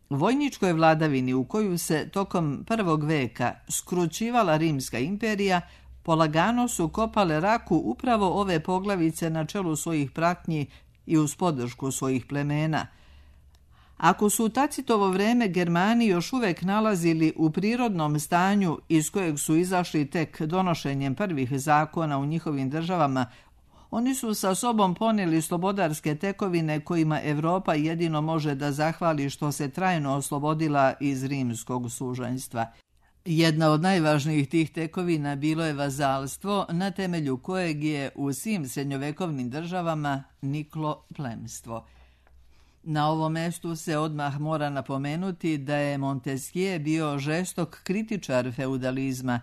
Vojničkoj vladavini u koju se tokom prvog veka skrućivala Rimska imperija, polagano su kopale raku upravo ove poglavice na čelu svojih pratnji i uz podršku svojih plemena. Ako su u Tacitovo vreme Germani još uvek nalazili u prirodnom stanju iz kojeg su izašli tek donošenjem prvih zakona u njihovim državama, oni su sa sobom ponijeli slobodarske tekovine kojima Evropa jedino može da zahvali što se trajno oslobodila iz rimskog sužanjstva. Jedna od najvažnijih tih tekovina bilo je vazalstvo, na temelju kojeg je u svim srednjovekovnim državama niklo plemstvo. Na ovom mestu se odmah mora napomenuti da je Montesquieu bio žestok kritičar feudalizma.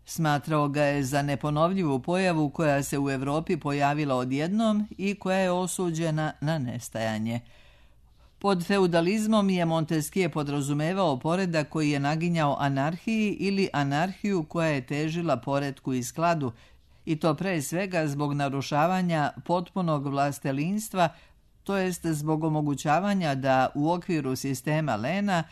Smatrao ga je za neponovljivu pojavu koja se u Evropi pojavila odjednom i koja je osuđena na nestajanje. Pod feudalizmom je Montesquieu podrazumevao poredak koji je naginjao anarhiji ili anarhiju koja je težila poretku i skladu, i to pre svega zbog narušavanja potpunog vlastelinstva, to jest zbog omogućavanja da u okviru sistema Lena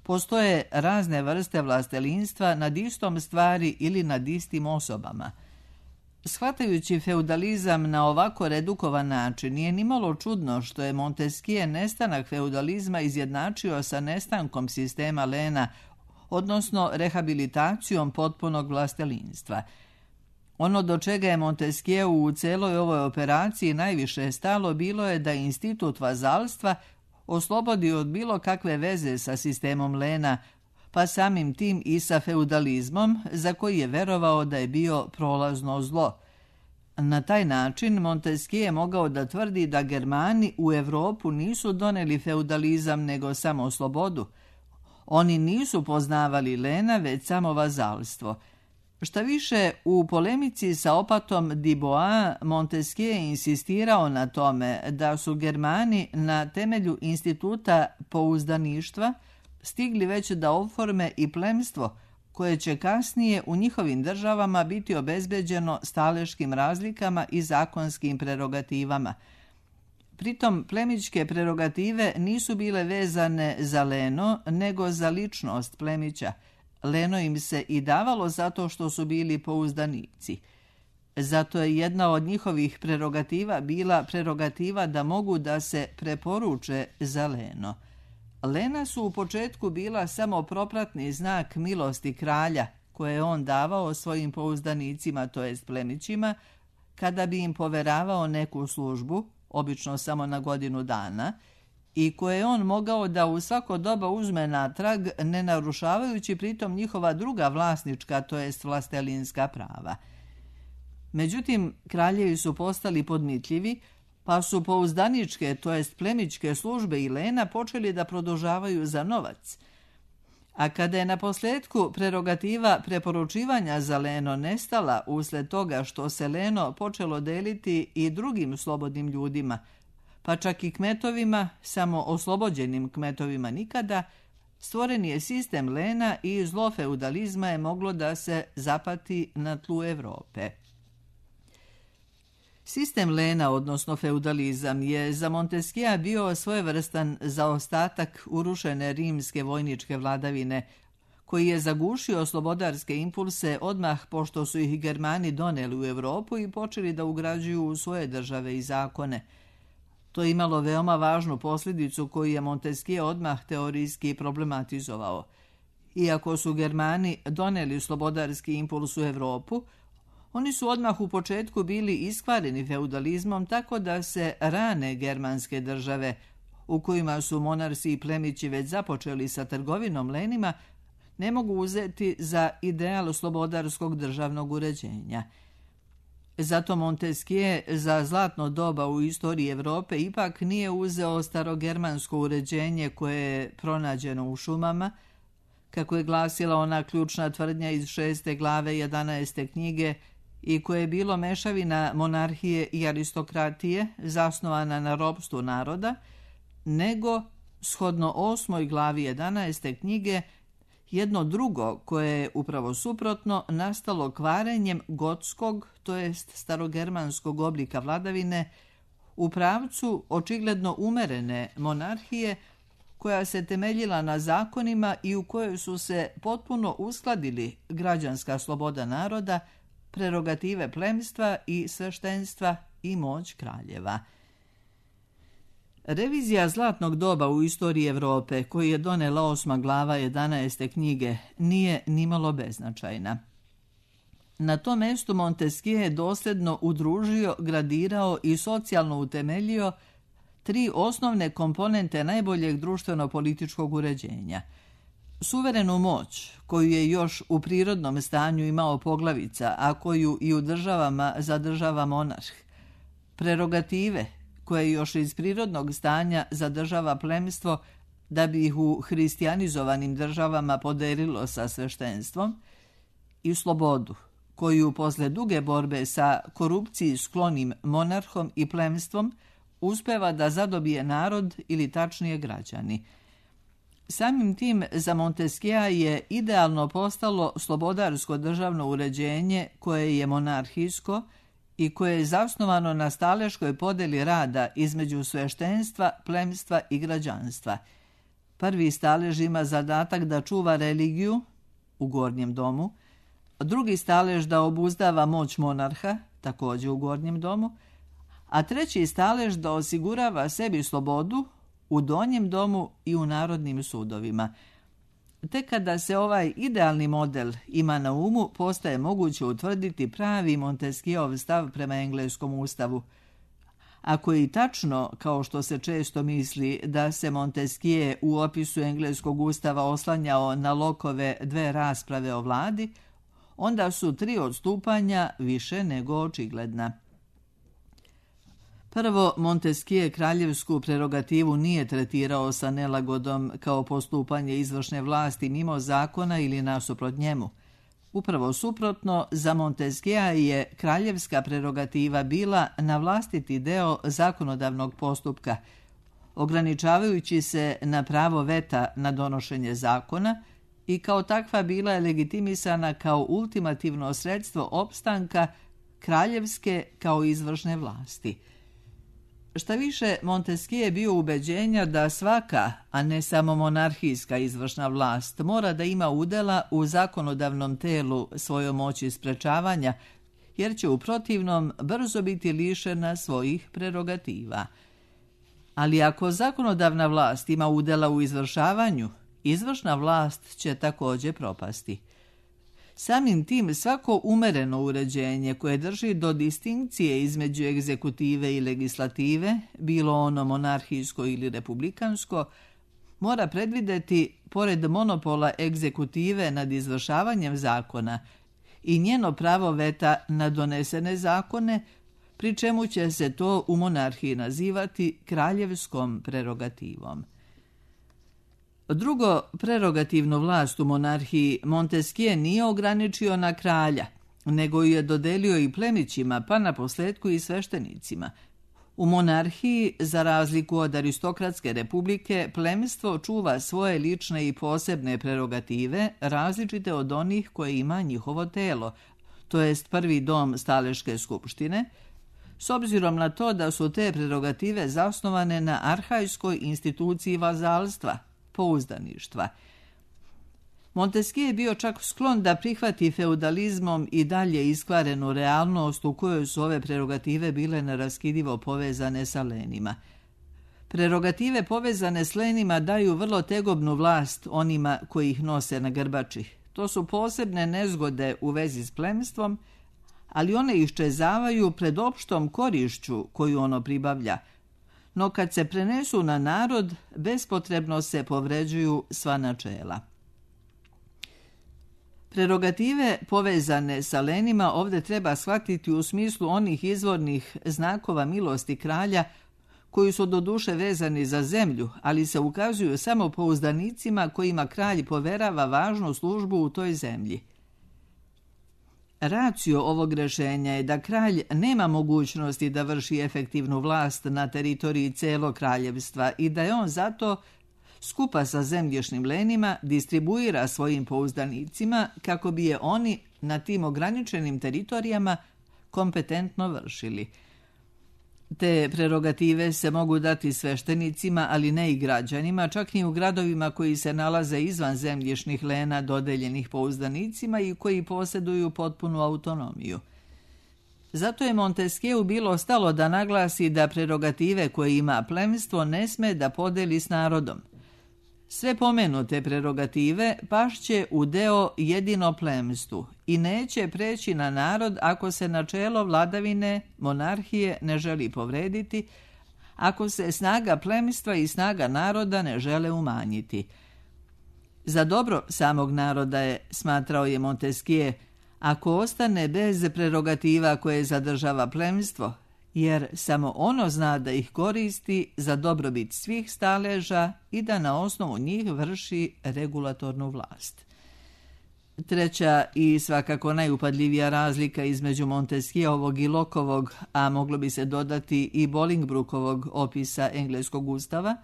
postoje razne vrste vlastelinstva nad istom stvari ili nad istim osobama. Shvatajući feudalizam na ovako redukovan način, nije nimalo čudno što je Montesquieu nestanak feudalizma izjednačio sa nestankom sistema Lena, odnosno rehabilitacijom potpunog vlastelinstva. Ono do čega je Montesquieu u celoj ovoj operaciji najviše stalo bilo je da institut vazalstva oslobodi od bilo kakve veze sa sistemom Lena, pa samim tim i sa feudalizmom, za koji je verovao da je bio prolazno zlo. Na taj način Montesquieu je mogao da tvrdi da Germani u Evropu nisu doneli feudalizam nego samo slobodu. Oni nisu poznavali Lena, već samo vazalstvo. Šta više, u polemici sa opatom Dubois, Montesquieu je insistirao na tome da su Germani na temelju instituta pouzdaništva stigli već da oforme i plemstvo koje će kasnije u njihovim državama biti obezbeđeno staleškim razlikama i zakonskim prerogativama. Pritom plemićke prerogative nisu bile vezane za leno, nego za ličnost plemića. Leno im se i davalo zato što su bili pouzdanici. Zato je jedna od njihovih prerogativa bila prerogativa da mogu da se preporuče za leno. Lena su u početku bila samo propratni znak milosti kralja, koje je on davao svojim pouzdanicima, to jest plemićima, kada bi im poveravao neku službu, obično samo na godinu dana, i koje je on mogao da u svako doba uzme natrag, ne narušavajući pritom njihova druga vlasnička, to jest vlastelinska prava. Međutim, kraljevi su postali podmitljivi, pa su pouzdaničke, to jest plemićke službe i lena počeli da produžavaju za novac. A kada je na posljedku prerogativa preporučivanja za leno nestala usled toga što se leno počelo deliti i drugim slobodnim ljudima, pa čak i kmetovima, samo oslobođenim kmetovima nikada, stvoren je sistem lena i zlo feudalizma je moglo da se zapati na tlu Evrope. Sistem lena, odnosno feudalizam, je za Montesquieu bio svojevrstan zaostatak urušene rimske vojničke vladavine, koji je zagušio slobodarske impulse odmah pošto su ih Germani doneli u Evropu i počeli da ugrađuju u svoje države i zakone. To je imalo veoma važnu posljedicu koju je Montesquieu odmah teorijski problematizovao. Iako su Germani doneli slobodarski impuls u Evropu, oni su odmah u početku bili iskvareni feudalizmom, tako da se rane germanske države, u kojima su monarsi i plemići već započeli sa trgovinom lenima, ne mogu uzeti za ideal slobodarskog državnog uređenja. Zato Montesquieu za zlatno doba u istoriji Evrope ipak nije uzeo starogermansko uređenje koje je pronađeno u šumama, kako je glasila ona ključna tvrdnja iz šeste glave jedanaeste knjige i koje je bilo mešavina monarhije i aristokratije zasnovana na ropstvu naroda, nego, shodno osmoj glavi jedanaeste knjige, jedno drugo koje je upravo suprotno nastalo kvarenjem gotskog, to jest starogermanskog oblika vladavine, u pravcu očigledno umerene monarhije koja se temeljila na zakonima i u kojoj su se potpuno uskladili građanska sloboda naroda, prerogative plemstva i sveštenstva i moć kraljeva. Revizija zlatnog doba u istoriji Evrope, koju je donela osma glava jedanaeste knjige, nije nimalo beznačajna. Na tom mestu Montesquieu je dosljedno udružio, gradirao i socijalno utemeljio tri osnovne komponente najboljeg društveno-političkog uređenja. Suverenu moć, koju je još u prirodnom stanju imao poglavica, a koju i u državama zadržava monarh. Prerogative, koje još iz prirodnog stanja zadržava plemstvo da bi ih u hristijanizovanim državama podelilo sa sveštenstvom, i slobodu, koju posle duge borbe sa korupciji sklonim monarhom i plemstvom uspeva da zadobije narod ili tačnije građani. Samim tim za Montesquieu je idealno postalo slobodarsko državno uređenje koje je monarhijsko i koje je zasnovano na staleškoj podeli rada između sveštenstva, plemstva i građanstva. Prvi stalež ima zadatak da čuva religiju u gornjem domu, drugi stalež da obuzdava moć monarha, također u gornjem domu, a treći stalež da osigurava sebi slobodu u donjem domu i u narodnim sudovima. Tek kada se ovaj idealni model ima na umu, postaje moguće utvrditi pravi Montesquieuov stav prema engleskom ustavu. Ako je i tačno, kao što se često misli, da se Montesquieu u opisu engleskog ustava oslanjao na Lockeove dve rasprave o vladi, onda su tri odstupanja više nego očigledna. Prvo, Montesquieu kraljevsku prerogativu nije tretirao sa nelagodom kao postupanje izvršne vlasti mimo zakona ili nasuprot njemu. Upravo suprotno, za Montesquieu je kraljevska prerogativa bila navlastiti deo zakonodavnog postupka, ograničavajući se na pravo veta na donošenje zakona i kao takva bila je legitimisana kao ultimativno sredstvo opstanka kraljevske kao izvršne vlasti. Šta više, Montesquieu je bio ubeđenja da svaka, a ne samo monarhijska izvršna vlast, mora da ima udela u zakonodavnom telu svojoj moći sprečavanja, jer će u protivnom brzo biti lišena svojih prerogativa. Ali ako zakonodavna vlast ima udela u izvršavanju, izvršna vlast će također propasti. Samim tim svako umereno uređenje koje drži do distinkcije između egzekutive i legislative, bilo ono monarhijsko ili republikansko, mora predvideti, pored monopola egzekutive nad izvršavanjem zakona, i njeno pravo veta na donesene zakone, pri čemu će se to u monarhiji nazivati kraljevskom prerogativom. Drugo, prerogativnu vlast u monarhiji Montesquieu nije ograničio na kralja, nego ju je dodelio i plemićima, pa na posljedku i sveštenicima. U monarhiji, za razliku od aristokratske republike, plemstvo čuva svoje lične i posebne prerogative, različite od onih koje ima njihovo telo, to jest prvi dom staleške skupštine, s obzirom na to da su te prerogative zasnovane na arhajskoj instituciji vazalstva, pouzdaništva. Montesquieu je bio čak sklon da prihvati feudalizmom i dalje iskvarenu realnost u kojoj su ove prerogative bile neraskidivo povezane sa lenima. Prerogative povezane s lenima daju vrlo tegobnu vlast onima koji ih nose na grbači. To su posebne nezgode u vezi s plemstvom, ali one iščezavaju pred opštom korišću koju ono pribavlja, no kad se prenesu na narod, bespotrebno se povređuju sva načela. Prerogative povezane sa lenima ovdje treba shvatiti u smislu onih izvornih znakova milosti kralja koji su doduše vezani za zemlju, ali se ukazuju samo pouzdanicima kojima kralj poverava važnu službu u toj zemlji. Racio ovog rješenja je da kralj nema mogućnosti da vrši efektivnu vlast na teritoriji celog kraljevstva i da je on zato, skupa sa zemljišnim lenima, distribuira svojim pouzdanicima kako bi je oni na tim ograničenim teritorijama kompetentno vršili. Te prerogative se mogu dati sveštenicima, ali ne i građanima, čak i u gradovima koji se nalaze izvan zemljišnih lena dodeljenih pouzdanicima i koji posjeduju potpunu autonomiju. Zato je Montesquieu bilo stalo da naglasi da prerogative koje ima plemstvo ne sme da podeli s narodom. Sve pomenute prerogative pašće u deo jedino plemstvu i neće preći na narod ako se načelo vladavine monarhije ne želi povrediti, ako se snaga plemstva i snaga naroda ne žele umanjiti. Za dobro samog naroda je, smatrao je Montesquieu, ako ostane bez prerogativa koje zadržava plemstvo, jer samo ono zna da ih koristi za dobrobit svih staleža i da na osnovu njih vrši regulatornu vlast. Treća i svakako najupadljivija razlika između Montesquieovog i Lockeovog, a moglo bi se dodati i Bolingbrokeovog opisa engleskog ustava,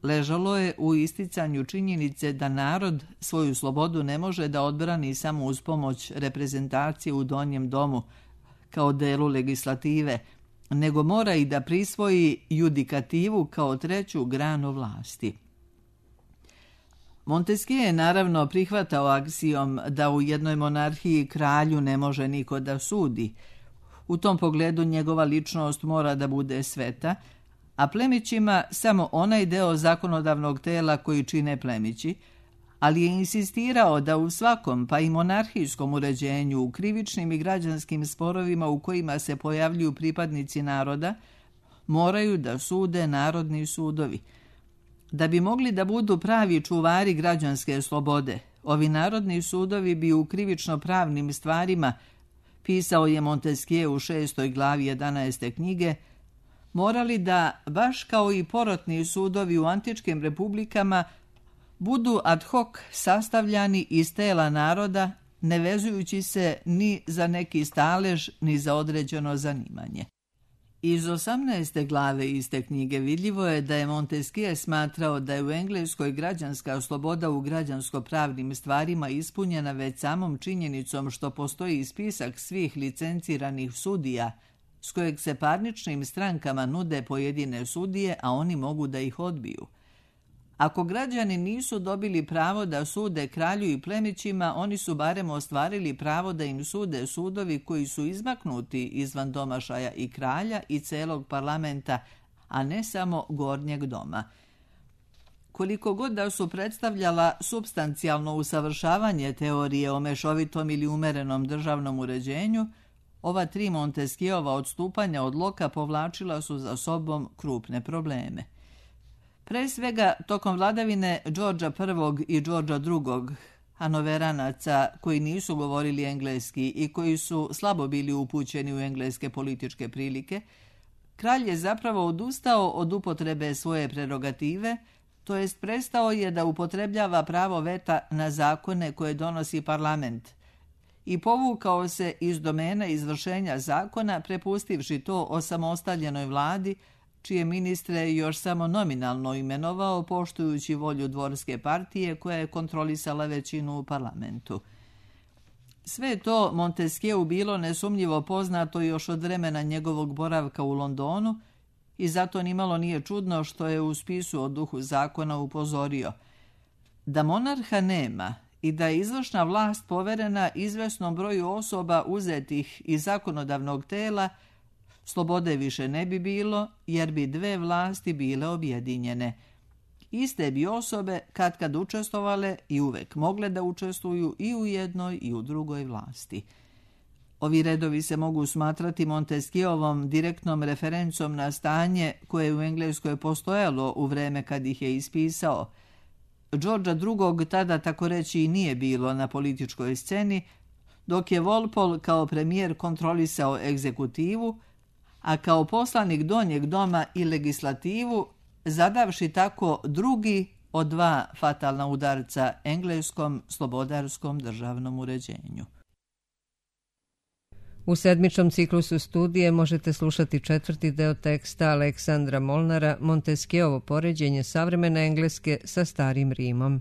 ležalo je u isticanju činjenice da narod svoju slobodu ne može da odbrani samo uz pomoć reprezentacije u donjem domu kao delu legislative, nego mora i da prisvoji judikativu kao treću granu vlasti. Montesquieu je naravno prihvatao aksijom da u jednoj monarhiji kralju ne može niko da sudi. U tom pogledu njegova ličnost mora da bude sveta, a plemićima samo onaj deo zakonodavnog tela koji čine plemići, ali je insistirao da u svakom, pa i monarhijskom uređenju, u krivičnim i građanskim sporovima u kojima se pojavljuju pripadnici naroda, moraju da sude narodni sudovi. Da bi mogli da budu pravi čuvari građanske slobode, ovi narodni sudovi bi u krivično-pravnim stvarima, pisao je Montesquieu u šestoj glavi jedanaeste knjige, morali da, baš kao i porotni sudovi u antičkim republikama, budu ad hoc sastavljani iz tela naroda, ne vezujući se ni za neki stalež, ni za određeno zanimanje. Iz osamnaeste glave iste knjige vidljivo je da je Montesquieu smatrao da je u Engleskoj građanska sloboda u građansko-pravnim stvarima ispunjena već samom činjenicom što postoji spisak svih licenciranih sudija, s kojeg se parničnim strankama nude pojedine sudije, a oni mogu da ih odbiju. Ako građani nisu dobili pravo da sude kralju i plemićima, oni su barem ostvarili pravo da im sude sudovi koji su izmaknuti izvan domašaja i kralja i celog parlamenta, a ne samo gornjeg doma. Koliko god da su predstavljala supstancijalno usavršavanje teorije o mešovitom ili umerenom državnom uređenju, ova tri Montesquieuova odstupanja od Locka povlačila su za sobom krupne probleme. Pre svega, tokom vladavine Đorđa prvog i Đorđa drugog, Hanoveranaca koji nisu govorili engleski i koji su slabo bili upućeni u engleske političke prilike, kralj je zapravo odustao od upotrebe svoje prerogative, to jest prestao je da upotrebljava pravo veta na zakone koje donosi parlament i povukao se iz domena izvršenja zakona, prepustivši to osamostaljenoj vladi, čije ministre je još samo nominalno imenovao, poštujući volju dvorske partije koja je kontrolisala većinu u parlamentu. Sve to Montesquieu bilo nesumnjivo poznato još od vremena njegovog boravka u Londonu i zato nimalo nije čudno što je u spisu o duhu zakona upozorio da monarha nema i da je izvršna vlast poverena izvesnom broju osoba uzetih iz zakonodavnog tela, slobode više ne bi bilo, jer bi dve vlasti bile objedinjene. Iste bi osobe kad kad učestvovale i uvek mogle da učestvuju i u jednoj i u drugoj vlasti. Ovi redovi se mogu smatrati Montesquieuovom direktnom referencom na stanje koje je u Engleskoj postojalo u vreme kad ih je ispisao. Đorđa drugog tada tako reći i nije bilo na političkoj sceni, dok je Walpole kao premijer kontrolisao egzekutivu, a kao poslanik donjeg doma i legislativu, zadavši tako drugi od dva fatalna udarca engleskom slobodarskom državnom uređenju. U sedmičnom ciklusu studije možete slušati četvrti deo teksta Aleksandra Molnara Montesquieuovo poređenje savremene Engleske sa starim Rimom.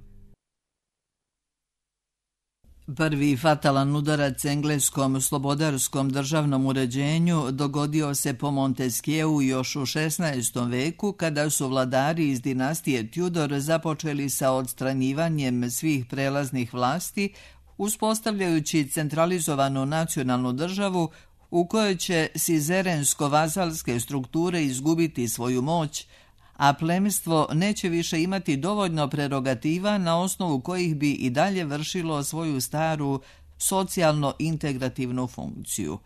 Prvi fatalan udarac engleskom slobodarskom državnom uređenju dogodio se po Montesquieu još u šesnaestom veku, kada su vladari iz dinastije Tudor započeli sa odstranjivanjem svih prelaznih vlasti, uspostavljajući centralizovanu nacionalnu državu u kojoj će sizerensko-vazalske strukture izgubiti svoju moć, a plemstvo neće više imati dovoljno prerogativa na osnovu kojih bi i dalje vršilo svoju staru socijalno-integrativnu funkciju.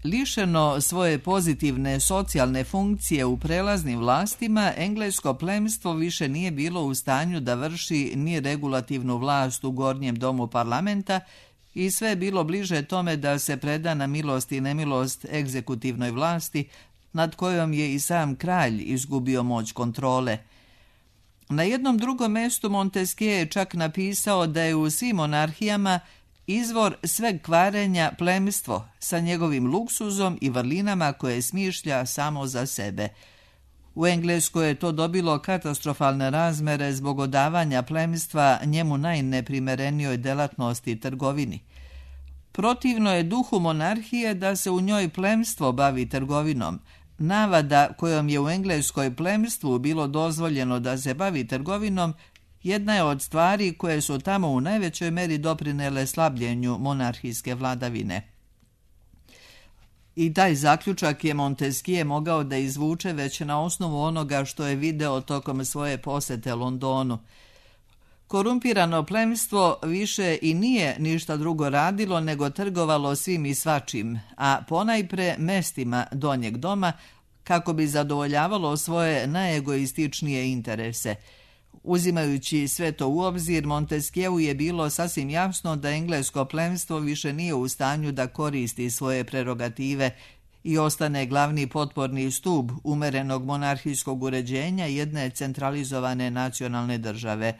Lišeno svoje pozitivne socijalne funkcije u prelaznim vlastima, englesko plemstvo više nije bilo u stanju da vrši ni regulativnu vlast u gornjem domu parlamenta i sve je bilo bliže tome da se preda na milost i nemilost egzekutivnoj vlasti, nad kojom je i sam kralj izgubio moć kontrole. Na jednom drugom mjestu Montesquieu je čak napisao da je u svim monarhijama izvor sveg kvarenja plemstvo sa njegovim luksuzom i vrlinama koje smišlja samo za sebe. U Engleskoj je to dobilo katastrofalne razmere zbog odavanja plemstva njemu najneprimerenijoj delatnosti trgovini. Protivno je duhu monarhije da se u njoj plemstvo bavi trgovinom. Navada kojom je u Engleskoj plemstvu bilo dozvoljeno da se bavi trgovinom jedna je od stvari koje su tamo u najvećoj meri doprinele slabljenju monarhijske vladavine. I taj zaključak je Montesquieu mogao da izvuče već na osnovu onoga što je video tokom svoje posete Londonu. Korumpirano plemstvo više i nije ništa drugo radilo nego trgovalo svim i svačim, a ponajpre mestima donjeg doma kako bi zadovoljavalo svoje najegoističnije interese. Uzimajući sve to u obzir, Montesquieu je bilo sasvim jasno da englesko plemstvo više nije u stanju da koristi svoje prerogative i ostane glavni potporni stub umerenog monarhijskog uređenja jedne centralizovane nacionalne države.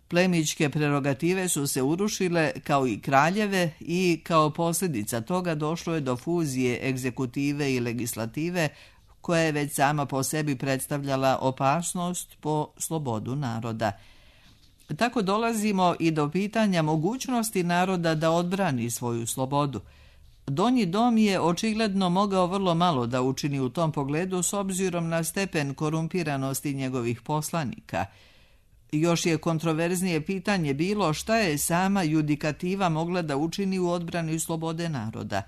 Plemićke prerogative su se urušile kao i kraljeve i kao posljedica toga došlo je do fuzije egzekutive i legislative koja je već sama po sebi predstavljala opasnost po slobodu naroda. Tako dolazimo i do pitanja mogućnosti naroda da odbrani svoju slobodu. Donji dom je očigledno mogao vrlo malo da učini u tom pogledu s obzirom na stepen korumpiranosti njegovih poslanika. Još je kontroverznije pitanje bilo šta je sama judikativa mogla da učini u odbrani slobode naroda.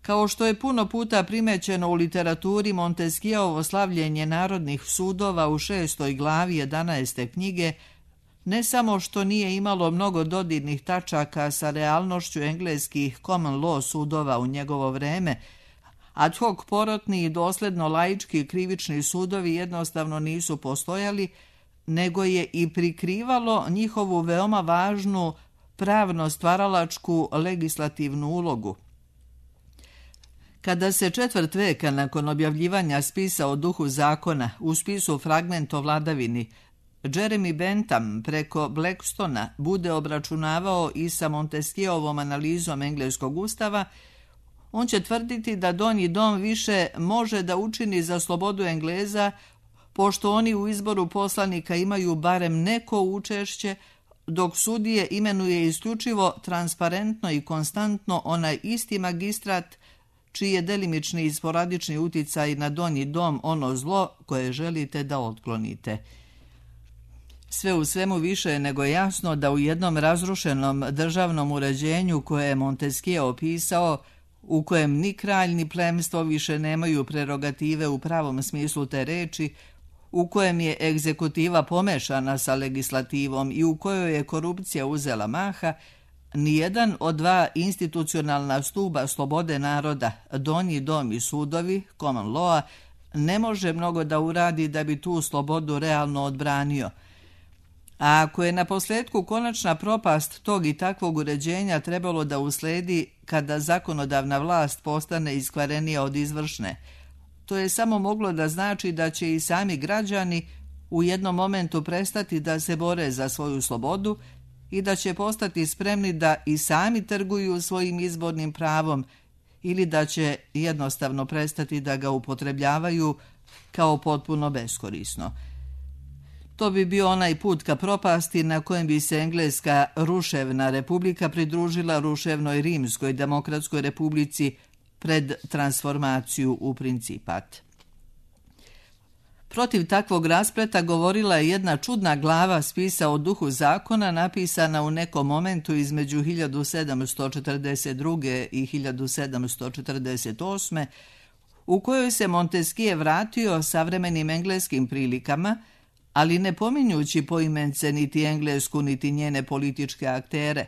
Kao što je puno puta primećeno u literaturi, Montesquieuovo slavljenje narodnih sudova u šestoj glavi jedanaeste knjige ne samo što nije imalo mnogo dodirnih tačaka sa realnošću engleskih common law sudova u njegovo vreme, ad hoc porotni i dosljedno laički krivični sudovi jednostavno nisu postojali, nego je i prikrivalo njihovu veoma važnu pravno stvaralačku legislativnu ulogu. Kada se četvrt veka nakon objavljivanja spisa o duhu zakona u spisu Fragment o vladavini Jeremy Bentham preko Blackstona bude obračunavao i sa Montesquieuovom analizom engleskog ustava, on će tvrditi da donji dom više može da učini za slobodu Engleza pošto oni u izboru poslanika imaju barem neko učešće, dok sudije imenuje isključivo, transparentno i konstantno onaj isti magistrat čiji je delimični i sporadični uticaj na donji dom ono zlo koje želite da otklonite. Sve u svemu više je nego jasno da u jednom razrušenom državnom uređenju koje je Montesquieu opisao, u kojem ni kralj ni plemstvo više nemaju prerogative u pravom smislu te reči, u kojem je egzekutiva pomešana sa legislativom i u kojoj je korupcija uzela maha, nijedan od dva institucionalna stuba slobode naroda, donji dom i sudovi, common law, ne može mnogo da uradi da bi tu slobodu realno odbranio. A ako je na posljedku konačna propast tog i takvog uređenja trebalo da usledi kada zakonodavna vlast postane iskvarenija od izvršne, to je samo moglo da znači da će i sami građani u jednom momentu prestati da se bore za svoju slobodu i da će postati spremni da i sami trguju svojim izbornim pravom ili da će jednostavno prestati da ga upotrebljavaju kao potpuno beskorisno. To bi bio onaj put ka propasti na kojem bi se engleska ruševna republika pridružila ruševnoj rimskoj demokratskoj republici pred transformaciju u principat. Protiv takvog raspleta govorila je jedna čudna glava spisa o duhu zakona napisana u nekom momentu između hiljadu sedamsto četrdeset druge. i hiljadu sedamsto četrdeset osme. u kojoj se Montesquieu vratio savremenim engleskim prilikama, ali ne pominjući poimence niti Englesku niti njene političke aktere.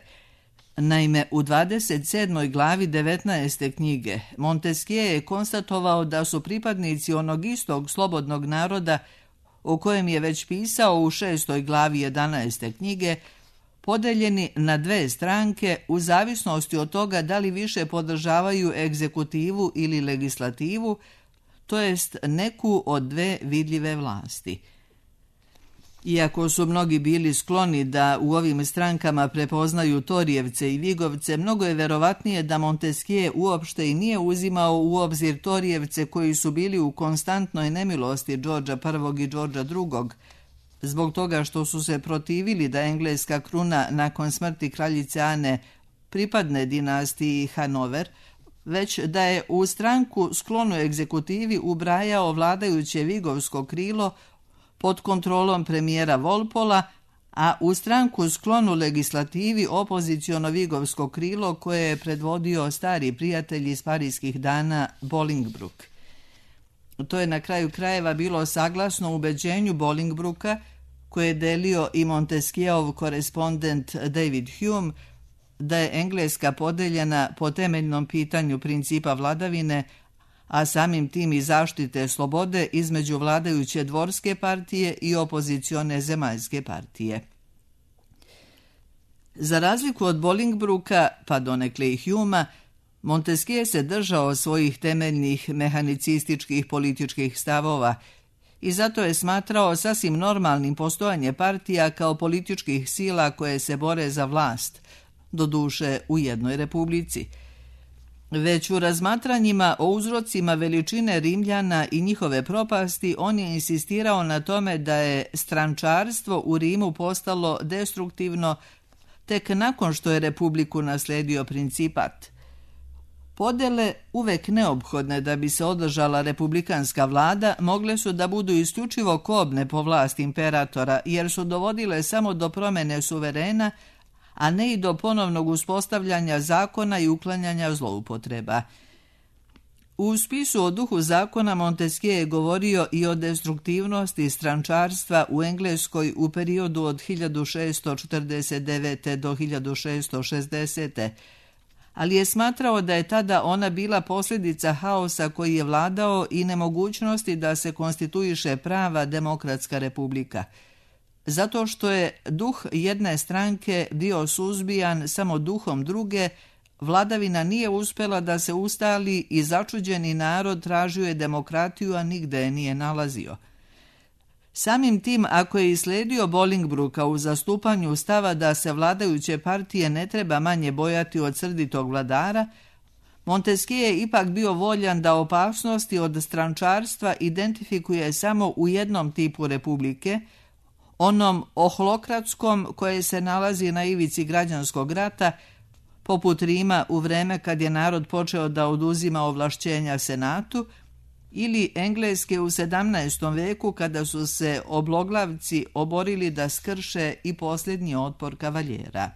Naime, u dvadeset sedmoj glavi devetnaeste knjige Montesquieu je konstatovao da su pripadnici onog istog slobodnog naroda o kojem je već pisao u šestoj glavi jedanaeste knjige podeljeni na dve stranke u zavisnosti od toga da li više podržavaju egzekutivu ili legislativu, to jest neku od dve vidljive vlasti. Iako su mnogi bili skloni da u ovim strankama prepoznaju Torijevce i Vigovce, mnogo je verovatnije da Montesquieu uopšte i nije uzimao u obzir Torijevce koji su bili u konstantnoj nemilosti Đorđa prvog. i Đorđa drugog. Zbog toga što su se protivili da engleska kruna nakon smrti kraljice Ane pripadne dinastiji Hanover, već da je u stranku sklonu egzekutivi ubrajao vladajuće vigovsko krilo pod kontrolom premijera Walpola, a u stranku sklonu legislativi opoziciono vigovsko krilo koje je predvodio stari prijatelj iz parijskih dana Bolingbroke. To je na kraju krajeva bilo saglasno ubeđenju Bolingbroka, koje je delio i Montesquieuov korespondent David Hume, da je Engleska podeljena po temeljnom pitanju principa vladavine, a samim tim i zaštite slobode između vladajuće dvorske partije i opozicione zemaljske partije. Za razliku od Bolingbroka, pa donekle i Humea, Montesquieu se držao svojih temeljnih mehanicističkih političkih stavova i zato je smatrao sasvim normalnim postojanje partija kao političkih sila koje se bore za vlast, doduše u jednoj republici. Već u razmatranjima o uzrocima veličine Rimljana i njihove propasti on je insistirao na tome da je strančarstvo u Rimu postalo destruktivno tek nakon što je republiku nasledio principat. Podele, uvek neophodne da bi se održala republikanska vlada, mogle su da budu isključivo kobne po vlast imperatora, jer su dovodile samo do promene suverena, a ne i do ponovnog uspostavljanja zakona i uklanjanja zloupotreba. U spisu o duhu zakona Montesquieu je govorio i o destruktivnosti strančarstva u Engleskoj u periodu od hiljadu šeststo četrdeset devete. do hiljadu šeststo šezdesete. ali je smatrao da je tada ona bila posljedica haosa koji je vladao i nemogućnosti da se konstituiše prava demokratska republika. Zato što je duh jedne stranke bio suzbijan samo duhom druge, vladavina nije uspjela da se ustali i začuđeni narod tražio je demokratiju, a nigde je nije nalazio. Samim tim, ako je isledio Bolingbroka u zastupanju stava da se vladajuće partije ne treba manje bojati od srditog vladara, Montesquieu je ipak bio voljan da opasnosti od strančarstva identifikuje samo u jednom tipu republike, onom ohlokratskom koje se nalazi na ivici građanskog rata, poput Rima u vreme kad je narod počeo da oduzima ovlašćenja senatu, ili Engleske u sedamnaestom veku kada su se obloglavci oborili da skrše i posljednji otpor kavaljera.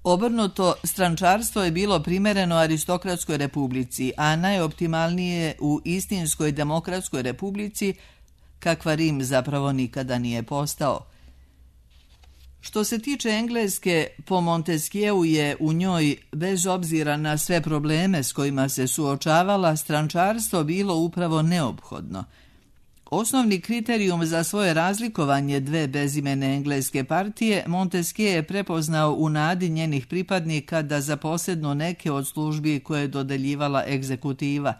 Obrnuto, strančarstvo je bilo primereno aristokratskoj republici, a najoptimalnije u istinskoj demokratskoj republici, kakva Rim zapravo nikada nije postao. Što se tiče Engleske, po Montesquieu je u njoj, bez obzira na sve probleme s kojima se suočavala, strančarstvo bilo upravo neophodno. Osnovni kriterijum za svoje razlikovanje dve bezimene engleske partije Montesquieu je prepoznao u nadi njenih pripadnika da zaposednu neke od službi koje je dodeljivala egzekutiva.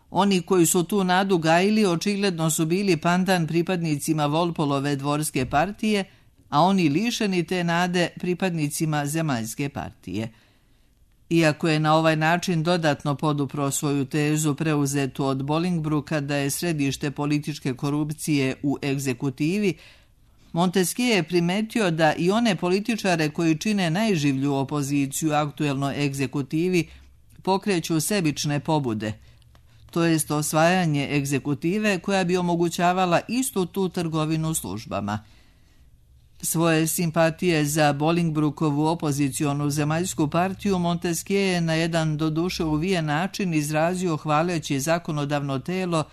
Oni koji su tu nadu gajili očigledno su bili pandan pripadnicima Walpolove dvorske partije, a oni lišeni te nade pripadnicima zemaljske partije. Iako je na ovaj način dodatno podupro svoju tezu preuzetu od Bolingbroka da je središte političke korupcije u egzekutivi, Montesquieu je primetio da i one političare koji čine najživlju opoziciju aktuelnoj egzekutivi pokreću sebične pobude. to jest osvajanje egzekutive koja bi omogućavala istu tu trgovinu službama. Svoje simpatije za Bolingbrokeovu opozicionu zemaljsku partiju Montesquieu je na jedan doduše uvijen način izrazio hvaleći zakonodavno telo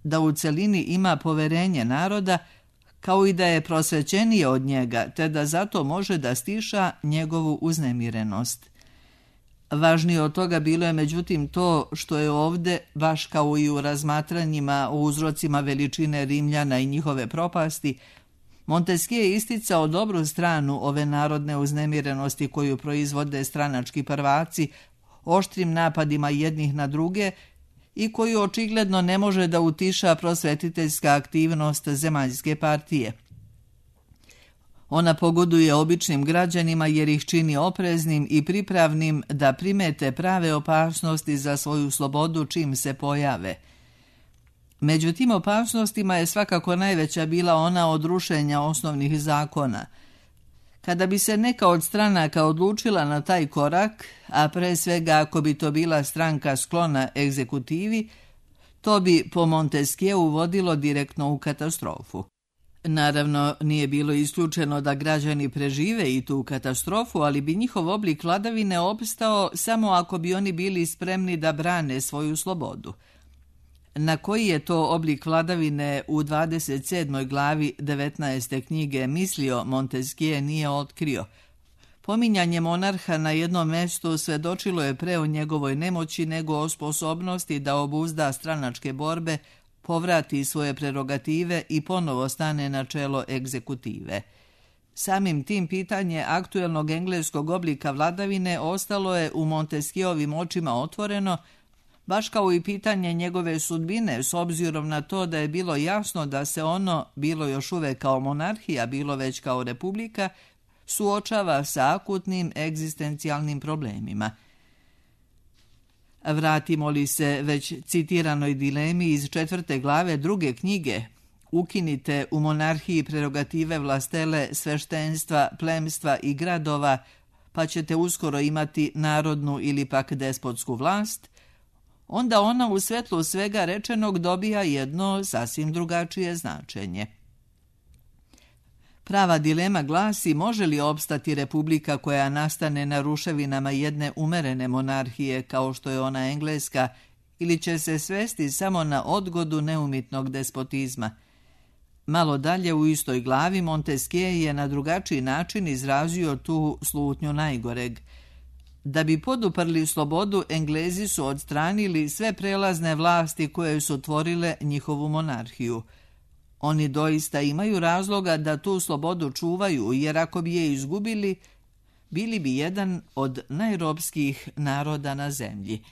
da u celini ima poverenje naroda, kao i da je prosvećenije od njega, te da zato može da stiša njegovu uznemirenost. Važnije od toga bilo je međutim to što je ovde, baš kao i u razmatranjima o uzrocima veličine Rimljana i njihove propasti, Montesquieu je isticao dobru stranu ove narodne uznemirenosti koju proizvode stranački prvaci, oštrim napadima jednih na druge i koju očigledno ne može da utiša prosvetiteljska aktivnost zemaljske partije. Ona pogoduje običnim građanima jer ih čini opreznim i pripravnim da primete prave opasnosti za svoju slobodu čim se pojave. Među tim opasnostima je svakako najveća bila ona od rušenja osnovnih zakona. Kada bi se neka od stranaka odlučila na taj korak, a pre svega ako bi to bila stranka sklona egzekutivi, to bi po Montesquieu vodilo direktno u katastrofu. Naravno, nije bilo isključeno da građani prežive i tu katastrofu, ali bi njihov oblik vladavine opstao samo ako bi oni bili spremni da brane svoju slobodu. Na koji je to oblik vladavine u dvadeset sedmoj glavi devetnaeste knjige mislio, Montesquieu nije otkrio. Pominjanje monarha na jednom mestu svedočilo je pre o njegovoj nemoći nego o sposobnosti da obuzda stranačke borbe, povrati svoje prerogative i ponovo stane na čelo egzekutive. Samim tim pitanje aktuelnog engleskog oblika vladavine ostalo je u Montesquieuovim očima otvoreno, baš kao i pitanje njegove sudbine, s obzirom na to da je bilo jasno da se ono, bilo još uvek kao monarhija, bilo već kao republika, suočava sa akutnim egzistencijalnim problemima. Vratimo li se već citiranoj dilemi iz četvrte glave druge knjige, ukinite u monarhiji prerogative vlastele, sveštenstva, plemstva i gradova, pa ćete uskoro imati narodnu ili pak despotsku vlast, onda ona u svetlu svega rečenog dobija jedno sasvim drugačije značenje. Prava dilema glasi može li opstati republika koja nastane na ruševinama jedne umerene monarhije kao što je ona engleska ili će se svesti samo na odgodu neumitnog despotizma. Malo dalje u istoj glavi Montesquieu je na drugačiji način izrazio tu slutnju najgoreg. Da bi poduprli slobodu, Englezi su odstranili sve prelazne vlasti koje su tvorile njihovu monarhiju. Oni doista imaju razloga da tu slobodu čuvaju, jer ako bi je izgubili, bili bi jedan od najrobskih naroda na zemlji.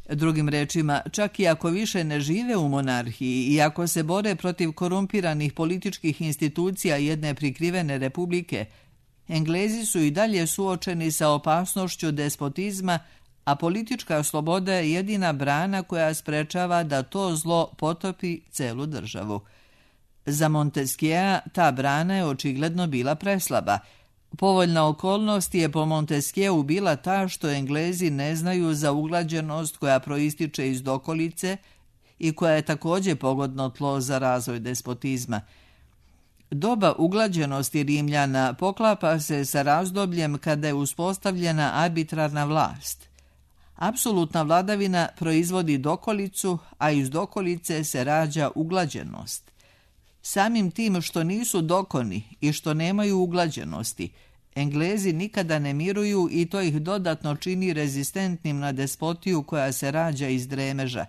Drugim rečima, čak i ako više ne žive u monarhiji i ako se bore protiv korumpiranih političkih institucija jedne prikrivene republike, Englezi su i dalje suočeni sa opasnošću despotizma, a politička sloboda je jedina brana koja sprečava da to zlo potopi celu državu. Za Montesquieu ta brana je očigledno bila preslaba. Povoljna okolnost je po Montesquieu bila ta što Englezi ne znaju za uglađenost koja proističe iz dokolice i koja je također pogodno tlo za razvoj despotizma. Doba uglađenosti Rimljana poklapa se sa razdobljem kada je uspostavljena arbitrarna vlast. Apsolutna vladavina proizvodi dokolicu, a iz dokolice se rađa uglađenost. Samim tim što nisu dokoni i što nemaju uglađenosti, Englezi nikada ne miruju i to ih dodatno čini rezistentnim na despotiju koja se rađa iz dremeža.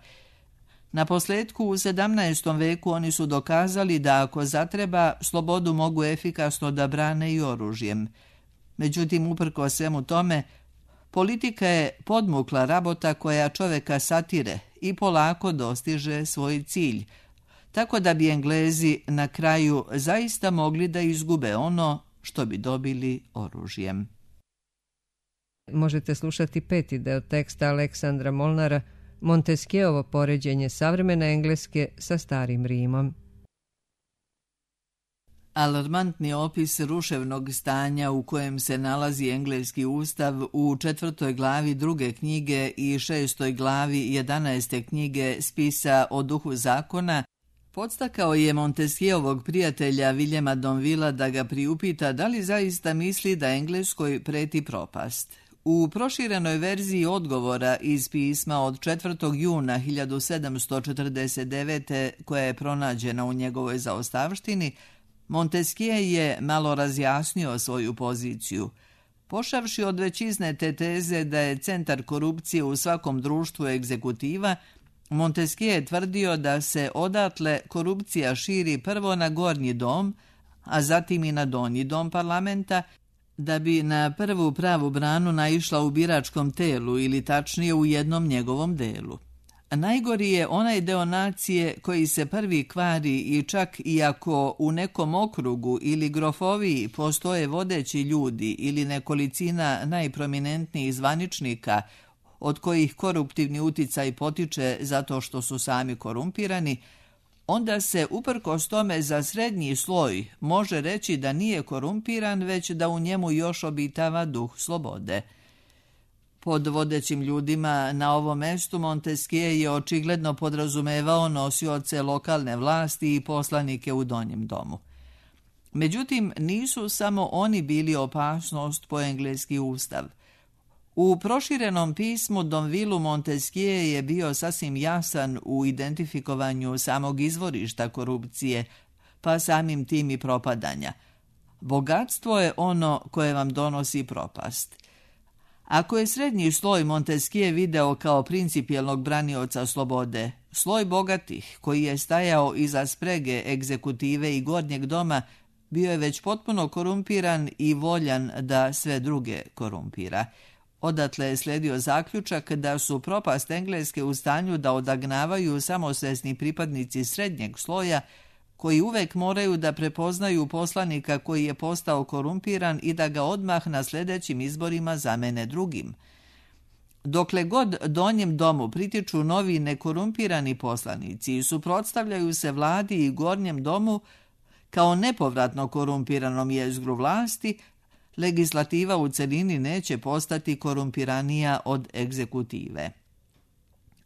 Na posljedku u sedamnaestom veku oni su dokazali da ako zatreba, slobodu mogu efikasno da brane i oružjem. Međutim, uprko svemu tome, politika je podmukla rabota koja čoveka satire i polako dostiže svoj cilj, tako da bi Englezi na kraju zaista mogli da izgube ono što bi dobili oružjem. Možete slušati peti deo teksta Aleksandra Molnara, Montesquieuovo poređenje savremene Engleske sa starim Rimom. Alarmantni opis ruševnog stanja u kojem se nalazi engleski ustav u četvrtoj glavi druge knjige i šestoj glavi jedanaeste knjige spisa o duhu zakona podstakao je Montesquieuovog prijatelja Viljema Domvilla da ga priupita da li zaista misli da Engleskoj preti propast. U proširenoj verziji odgovora iz pisma od četvrtog juna hiljadu sedamsto četrdeset devete koja je pronađena u njegovoj zaostavštini, Montesquieu je malo razjasnio svoju poziciju. Pošavši od većizne te teze da je centar korupcije u svakom društvu egzekutiva, Montesquieu je tvrdio da se odatle korupcija širi prvo na gornji dom, a zatim i na donji dom parlamenta, da bi na prvu pravu branu naišla u biračkom telu ili tačnije u jednom njegovom delu. Najgori je onaj deo nacije koji se prvi kvari i čak i ako u nekom okrugu ili grofoviji postoje vodeći ljudi ili nekolicina najprominentnijih zvaničnika od kojih koruptivni uticaj potiče zato što su sami korumpirani, onda se uprkos tome za srednji sloj može reći da nije korumpiran, već da u njemu još obitava duh slobode. Pod vodećim ljudima na ovom mestu Montesquieu je očigledno podrazumevao nosioce lokalne vlasti i poslanike u donjem domu. Međutim, nisu samo oni bili opasnost po engleski ustav. U proširenom pismu Domvillu Montesquieu je bio sasvim jasan u identifikovanju samog izvorišta korupcije, pa samim tim i propadanja. Bogatstvo je ono koje vam donosi propast. Ako je srednji sloj Montesquieu video kao principijelnog branioca slobode, sloj bogatih, koji je stajao iza sprege egzekutive i gornjeg doma, bio je već potpuno korumpiran i voljan da sve druge korumpira. Odatle je sledio zaključak da su propast Engleske u stanju da odagnavaju samosvesni pripadnici srednjeg sloja, koji uvek moraju da prepoznaju poslanika koji je postao korumpiran i da ga odmah na sljedećim izborima zamene drugim. Dokle god donjem domu pritiču novi nekorumpirani poslanici i suprotstavljaju se vladi i gornjem domu kao nepovratno korumpiranom jezgru vlasti, legislativa u celini neće postati korumpiranija od egzekutive.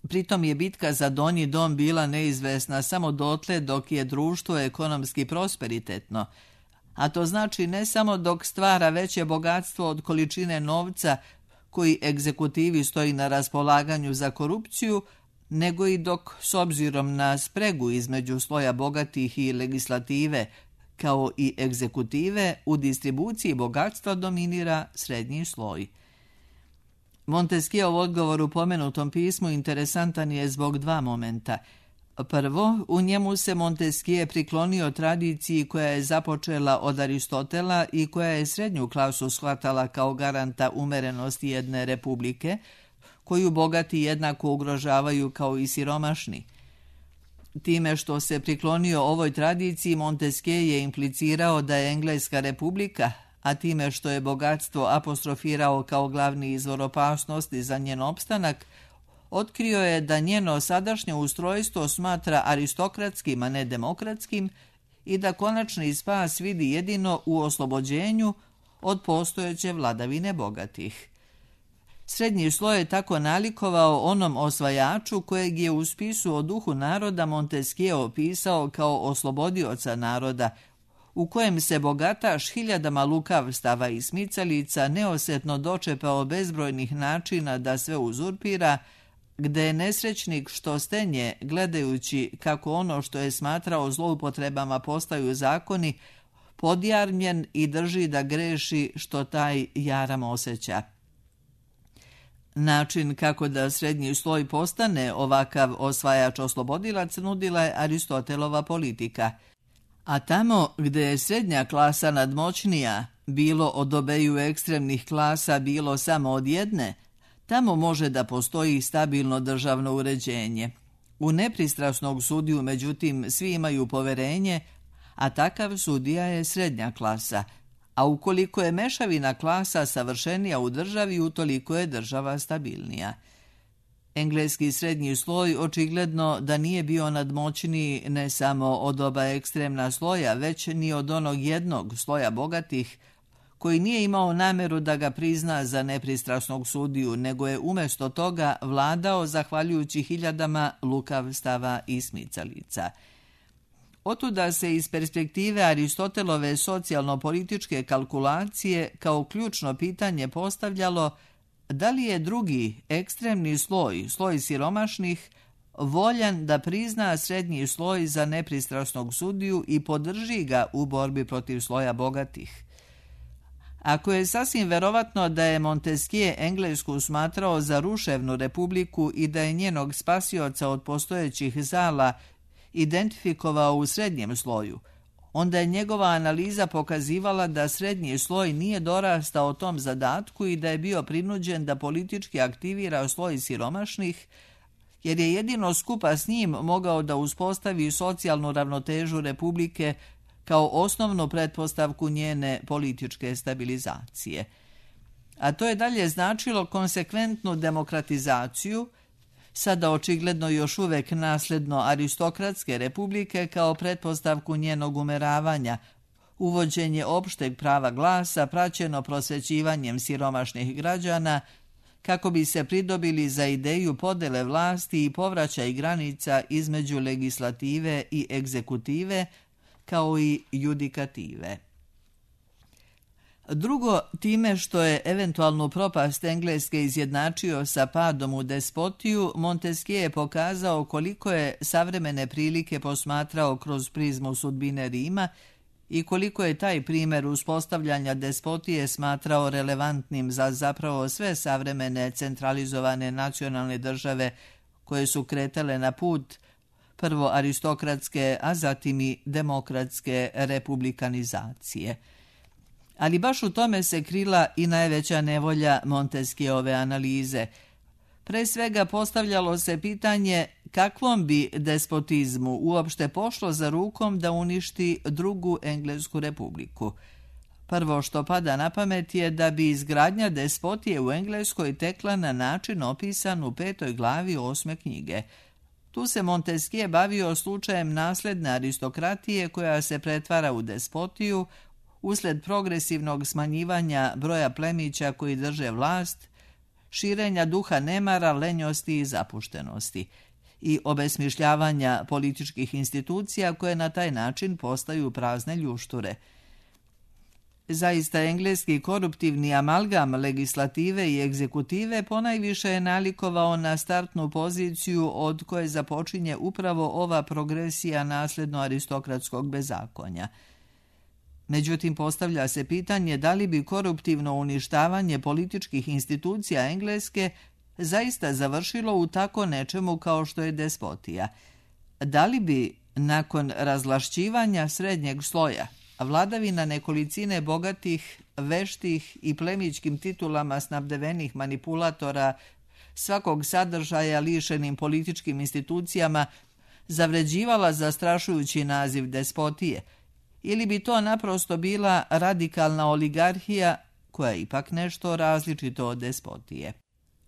Pritom je bitka za donji dom bila neizvesna samo dotle dok je društvo ekonomski prosperitetno, a to znači ne samo dok stvara veće bogatstvo od količine novca koji egzekutivi stoji na raspolaganju za korupciju, nego i dok, s obzirom na spregu između sloja bogatih i legislative, kao i egzekutive, u distribuciji bogatstva dominira srednji sloj. Montesquieuov odgovor u pomenutom pismu interesantan je zbog dva momenta. Prvo, u njemu se Montesquieu priklonio tradiciji koja je započela od Aristotela i koja je srednju klasu shvatala kao garanta umerenosti jedne republike, koju bogati jednako ugrožavaju kao i siromašni. Time što se priklonio ovoj tradiciji, Montesquieu je implicirao da je Engleska republika, a time što je bogatstvo apostrofirao kao glavni izvor opasnosti za njen opstanak, otkrio je da njeno sadašnje ustrojstvo smatra aristokratskim, a ne demokratskim, i da konačni spas vidi jedino u oslobođenju od postojeće vladavine bogatih. Srednji sloj je tako nalikovao onom osvajaču kojeg je u spisu o duhu naroda Montesquieu opisao kao oslobodioca naroda, u kojem se bogataš hiljadama lukavstava i smicalica neosetno dočepao bezbrojnih načina da sve uzurpira, gde je nesrećnik što stenje, gledajući kako ono što je smatrao zloupotrebama postaju zakoni, podjarmljen i drži da greši što taj jaram osjeća. Način kako da srednji sloj postane ovakav osvajač oslobodilac nudila je Aristotelova politika. A tamo gde je srednja klasa nadmoćnija, bilo od obeju ekstremnih klasa, bilo samo od jedne, tamo može da postoji stabilno državno uređenje. U nepristrasnog sudiju, međutim, svi imaju poverenje, a takav sudija je srednja klasa, a ukoliko je mešavina klasa savršenija u državi, utoliko je država stabilnija. Engleski srednji sloj očigledno da nije bio nadmoćniji ne samo od oba ekstremna sloja, već ni od onog jednog sloja bogatih, koji nije imao nameru da ga prizna za nepristrasnog sudiju, nego je umjesto toga vladao zahvaljujući hiljadama lukavstava i smicalica. Otuda se iz perspektive Aristotelove socijalno-političke kalkulacije kao ključno pitanje postavljalo da li je drugi ekstremni sloj, sloj siromašnih, voljan da prizna srednji sloj za nepristrasnog sudiju i podrži ga u borbi protiv sloja bogatih. Ako je sasvim verovatno da je Montesquieu Englesku smatrao za ruševnu republiku i da je njenog spasioca od postojećih zala identifikovao u srednjem sloju, onda je njegova analiza pokazivala da srednji sloj nije dorastao tom zadatku i da je bio prinuđen da politički aktivira sloj siromašnih, jer je jedino skupa s njim mogao da uspostavi socijalnu ravnotežu republike kao osnovnu pretpostavku njene političke stabilizacije. A to je dalje značilo konsekventnu demokratizaciju, sada očigledno još uvek nasledno aristokratske republike kao pretpostavku njenog umeravanja, uvođenje opšteg prava glasa praćeno prosvećivanjem siromašnih građana kako bi se pridobili za ideju podele vlasti i povraćaj granica između legislative i egzekutive, kao i judikative. Drugo, time što je eventualnu propast Engleske izjednačio sa padom u despotiju, Montesquieu je pokazao koliko je savremene prilike posmatrao kroz prizmu sudbine Rima i koliko je taj primjer uspostavljanja despotije smatrao relevantnim za zapravo sve savremene centralizovane nacionalne države koje su kretale na put prvo aristokratske, a zatim i demokratske republikanizacije. Ali baš u tome se krila i najveća nevolja Montesquieuove analize. Pre svega postavljalo se pitanje kakvom bi despotizmu uopšte pošlo za rukom da uništi drugu Englesku republiku. Prvo što pada na pamet je da bi izgradnja despotije u Engleskoj tekla na način opisan u petoj glavi osme knjige. Tu se Montesquieu bavio slučajem nasledne aristokratije koja se pretvara u despotiju usled progresivnog smanjivanja broja plemića koji drže vlast, širenja duha nemara, lenjosti i zapuštenosti i obesmišljavanja političkih institucija koje na taj način postaju prazne ljušture. Zaista engleski koruptivni amalgam legislative i egzekutive ponajviše je nalikovao na startnu poziciju od koje započinje upravo ova progresija nasledno aristokratskog bezakonja. Međutim, postavlja se pitanje da li bi koruptivno uništavanje političkih institucija Engleske zaista završilo u tako nečemu kao što je despotija. Da li bi, nakon razvlašćivanja srednjeg sloja, vladavina nekolicine bogatih, veštih i plemićkim titulama snabdevenih manipulatora, svakog sadržaja lišenim političkim institucijama, zavređivala zastrašujući naziv despotije, ili bi to naprosto bila radikalna oligarhija koja je ipak nešto različito od despotije.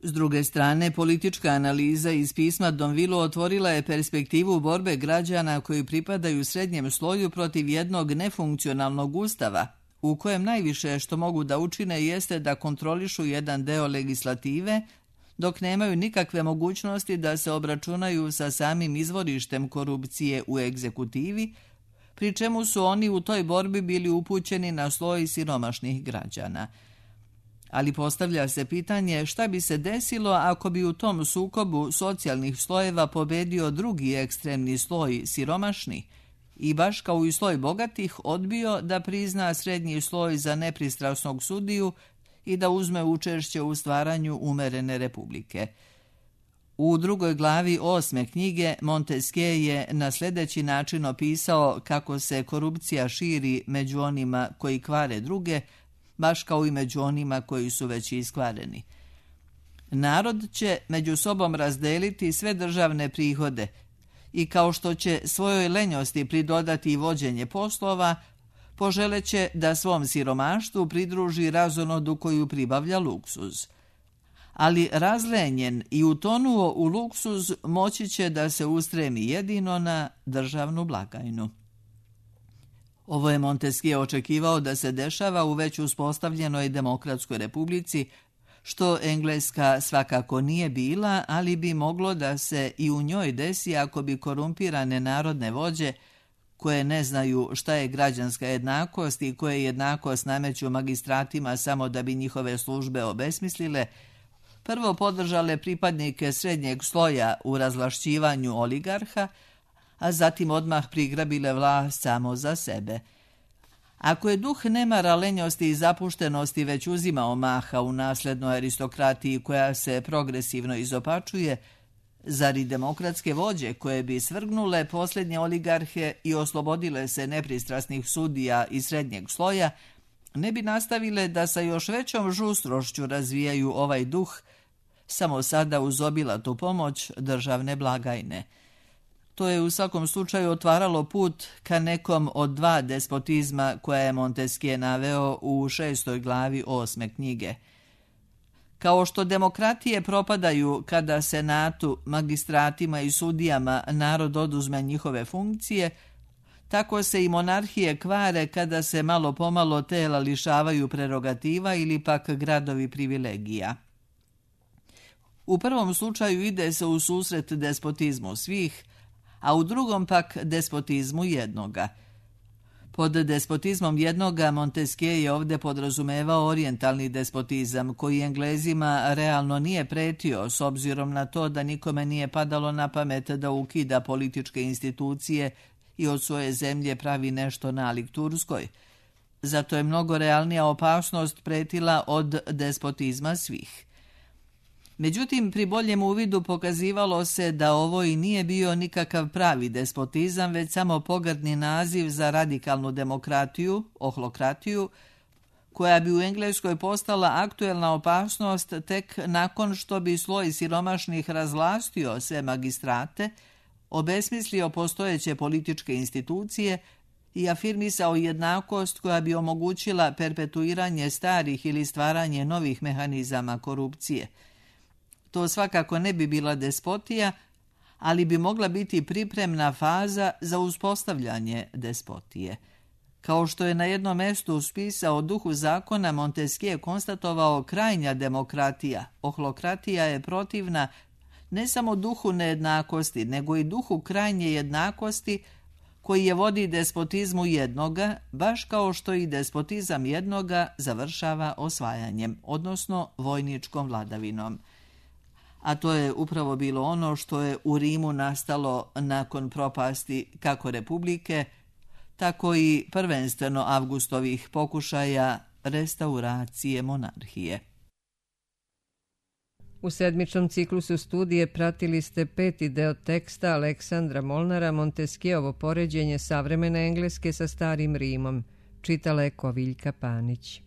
S druge strane, politička analiza iz pisma Donvilu otvorila je perspektivu borbe građana koji pripadaju srednjem sloju protiv jednog nefunkcionalnog ustava, u kojem najviše što mogu da učine jeste da kontrolišu jedan deo legislative, dok nemaju nikakve mogućnosti da se obračunaju sa samim izvorištem korupcije u egzekutivi, pri čemu su oni u toj borbi bili upućeni na sloj siromašnih građana. Ali postavlja se pitanje šta bi se desilo ako bi u tom sukobu socijalnih slojeva pobedio drugi ekstremni sloj siromašni i baš kao i sloj bogatih odbio da prizna srednji sloj za nepristrasnog sudiju i da uzme učešće u stvaranju umerene republike. U drugoj glavi osme knjige Montesquieu je na sljedeći način opisao kako se korupcija širi među onima koji kvare druge, baš kao i među onima koji su već iskvareni. Narod će među sobom razdeliti sve državne prihode i kao što će svojoj lenjosti pridodati i vođenje poslova, poželeće da svom siromaštvu pridruži razonodu koju pribavlja luksuz. ali razlenjen i utonuo u luksuz moći će da se ustremi jedino na državnu blagajnu. Ovo je Montesquieu očekivao da se dešava u već uspostavljenoj demokratskoj republici, što Engleska svakako nije bila, ali bi moglo da se i u njoj desi ako bi korumpirane narodne vođe, koje ne znaju šta je građanska jednakost i koje jednakost nameću magistratima samo da bi njihove službe obesmislile, prvo podržale pripadnike srednjeg sloja u razvlašćivanju oligarha, a zatim odmah prigrabile vlast samo za sebe. Ako je duh nemara, lenjosti i zapuštenosti već uzimao maha u naslednoj aristokratiji koja se progresivno izopačuje, zar i demokratske vođe koje bi svrgnule posljednje oligarhe i oslobodile se nepristrasnih sudija i srednjeg sloja, ne bi nastavile da sa još većom žustrošću razvijaju ovaj duh, samo sada uz obilatu pomoć državne blagajne. To je u svakom slučaju otvaralo put ka nekom od dva despotizma koja je Montesquieu naveo u šestoj glavi osme knjige. Kao što demokratije propadaju kada senatu, magistratima i sudijama narod oduzme njihove funkcije, tako se i monarhije kvare kada se malo pomalo tela lišavaju prerogativa ili pak gradovi privilegija. U prvom slučaju ide se u susret despotizmu svih, a u drugom pak despotizmu jednoga. Pod despotizmom jednoga Montesquieu je ovdje podrazumevao orijentalni despotizam, koji Englezima realno nije pretio, s obzirom na to da nikome nije padalo na pamet da ukida političke institucije i od svoje zemlje pravi nešto nalik Turskoj. Zato je mnogo realnija opasnost pretila od despotizma svih. Međutim, pri boljem uvidu pokazivalo se da ovo i nije bio nikakav pravi despotizam, već samo pogrdni naziv za radikalnu demokratiju, ohlokratiju, koja bi u Engleskoj postala aktuelna opasnost tek nakon što bi sloj siromašnih razvlastio sve magistrate, obesmislio postojeće političke institucije i afirmisao jednakost koja bi omogućila perpetuiranje starih ili stvaranje novih mehanizama korupcije. To svakako ne bi bila despotija, ali bi mogla biti pripremna faza za uspostavljanje despotije. Kao što je na jednom mjestu spisao duhu zakona, Montesquieu konstatovao krajnja demokratija, ohlokratija je protivna ne samo duhu nejednakosti, nego i duhu krajnje jednakosti koji je vodi despotizmu jednoga, baš kao što i despotizam jednoga završava osvajanjem, odnosno vojničkom vladavinom. A to je upravo bilo ono što je u Rimu nastalo nakon propasti kako republike, tako i prvenstveno Avgustovih pokušaja restauracije monarhije. U sedmičnom ciklusu studije pratili ste peti deo teksta Aleksandra Molnara Montesquieuovo poređenje savremene Engleske sa starim Rimom. Čitala je Koviljka Panić.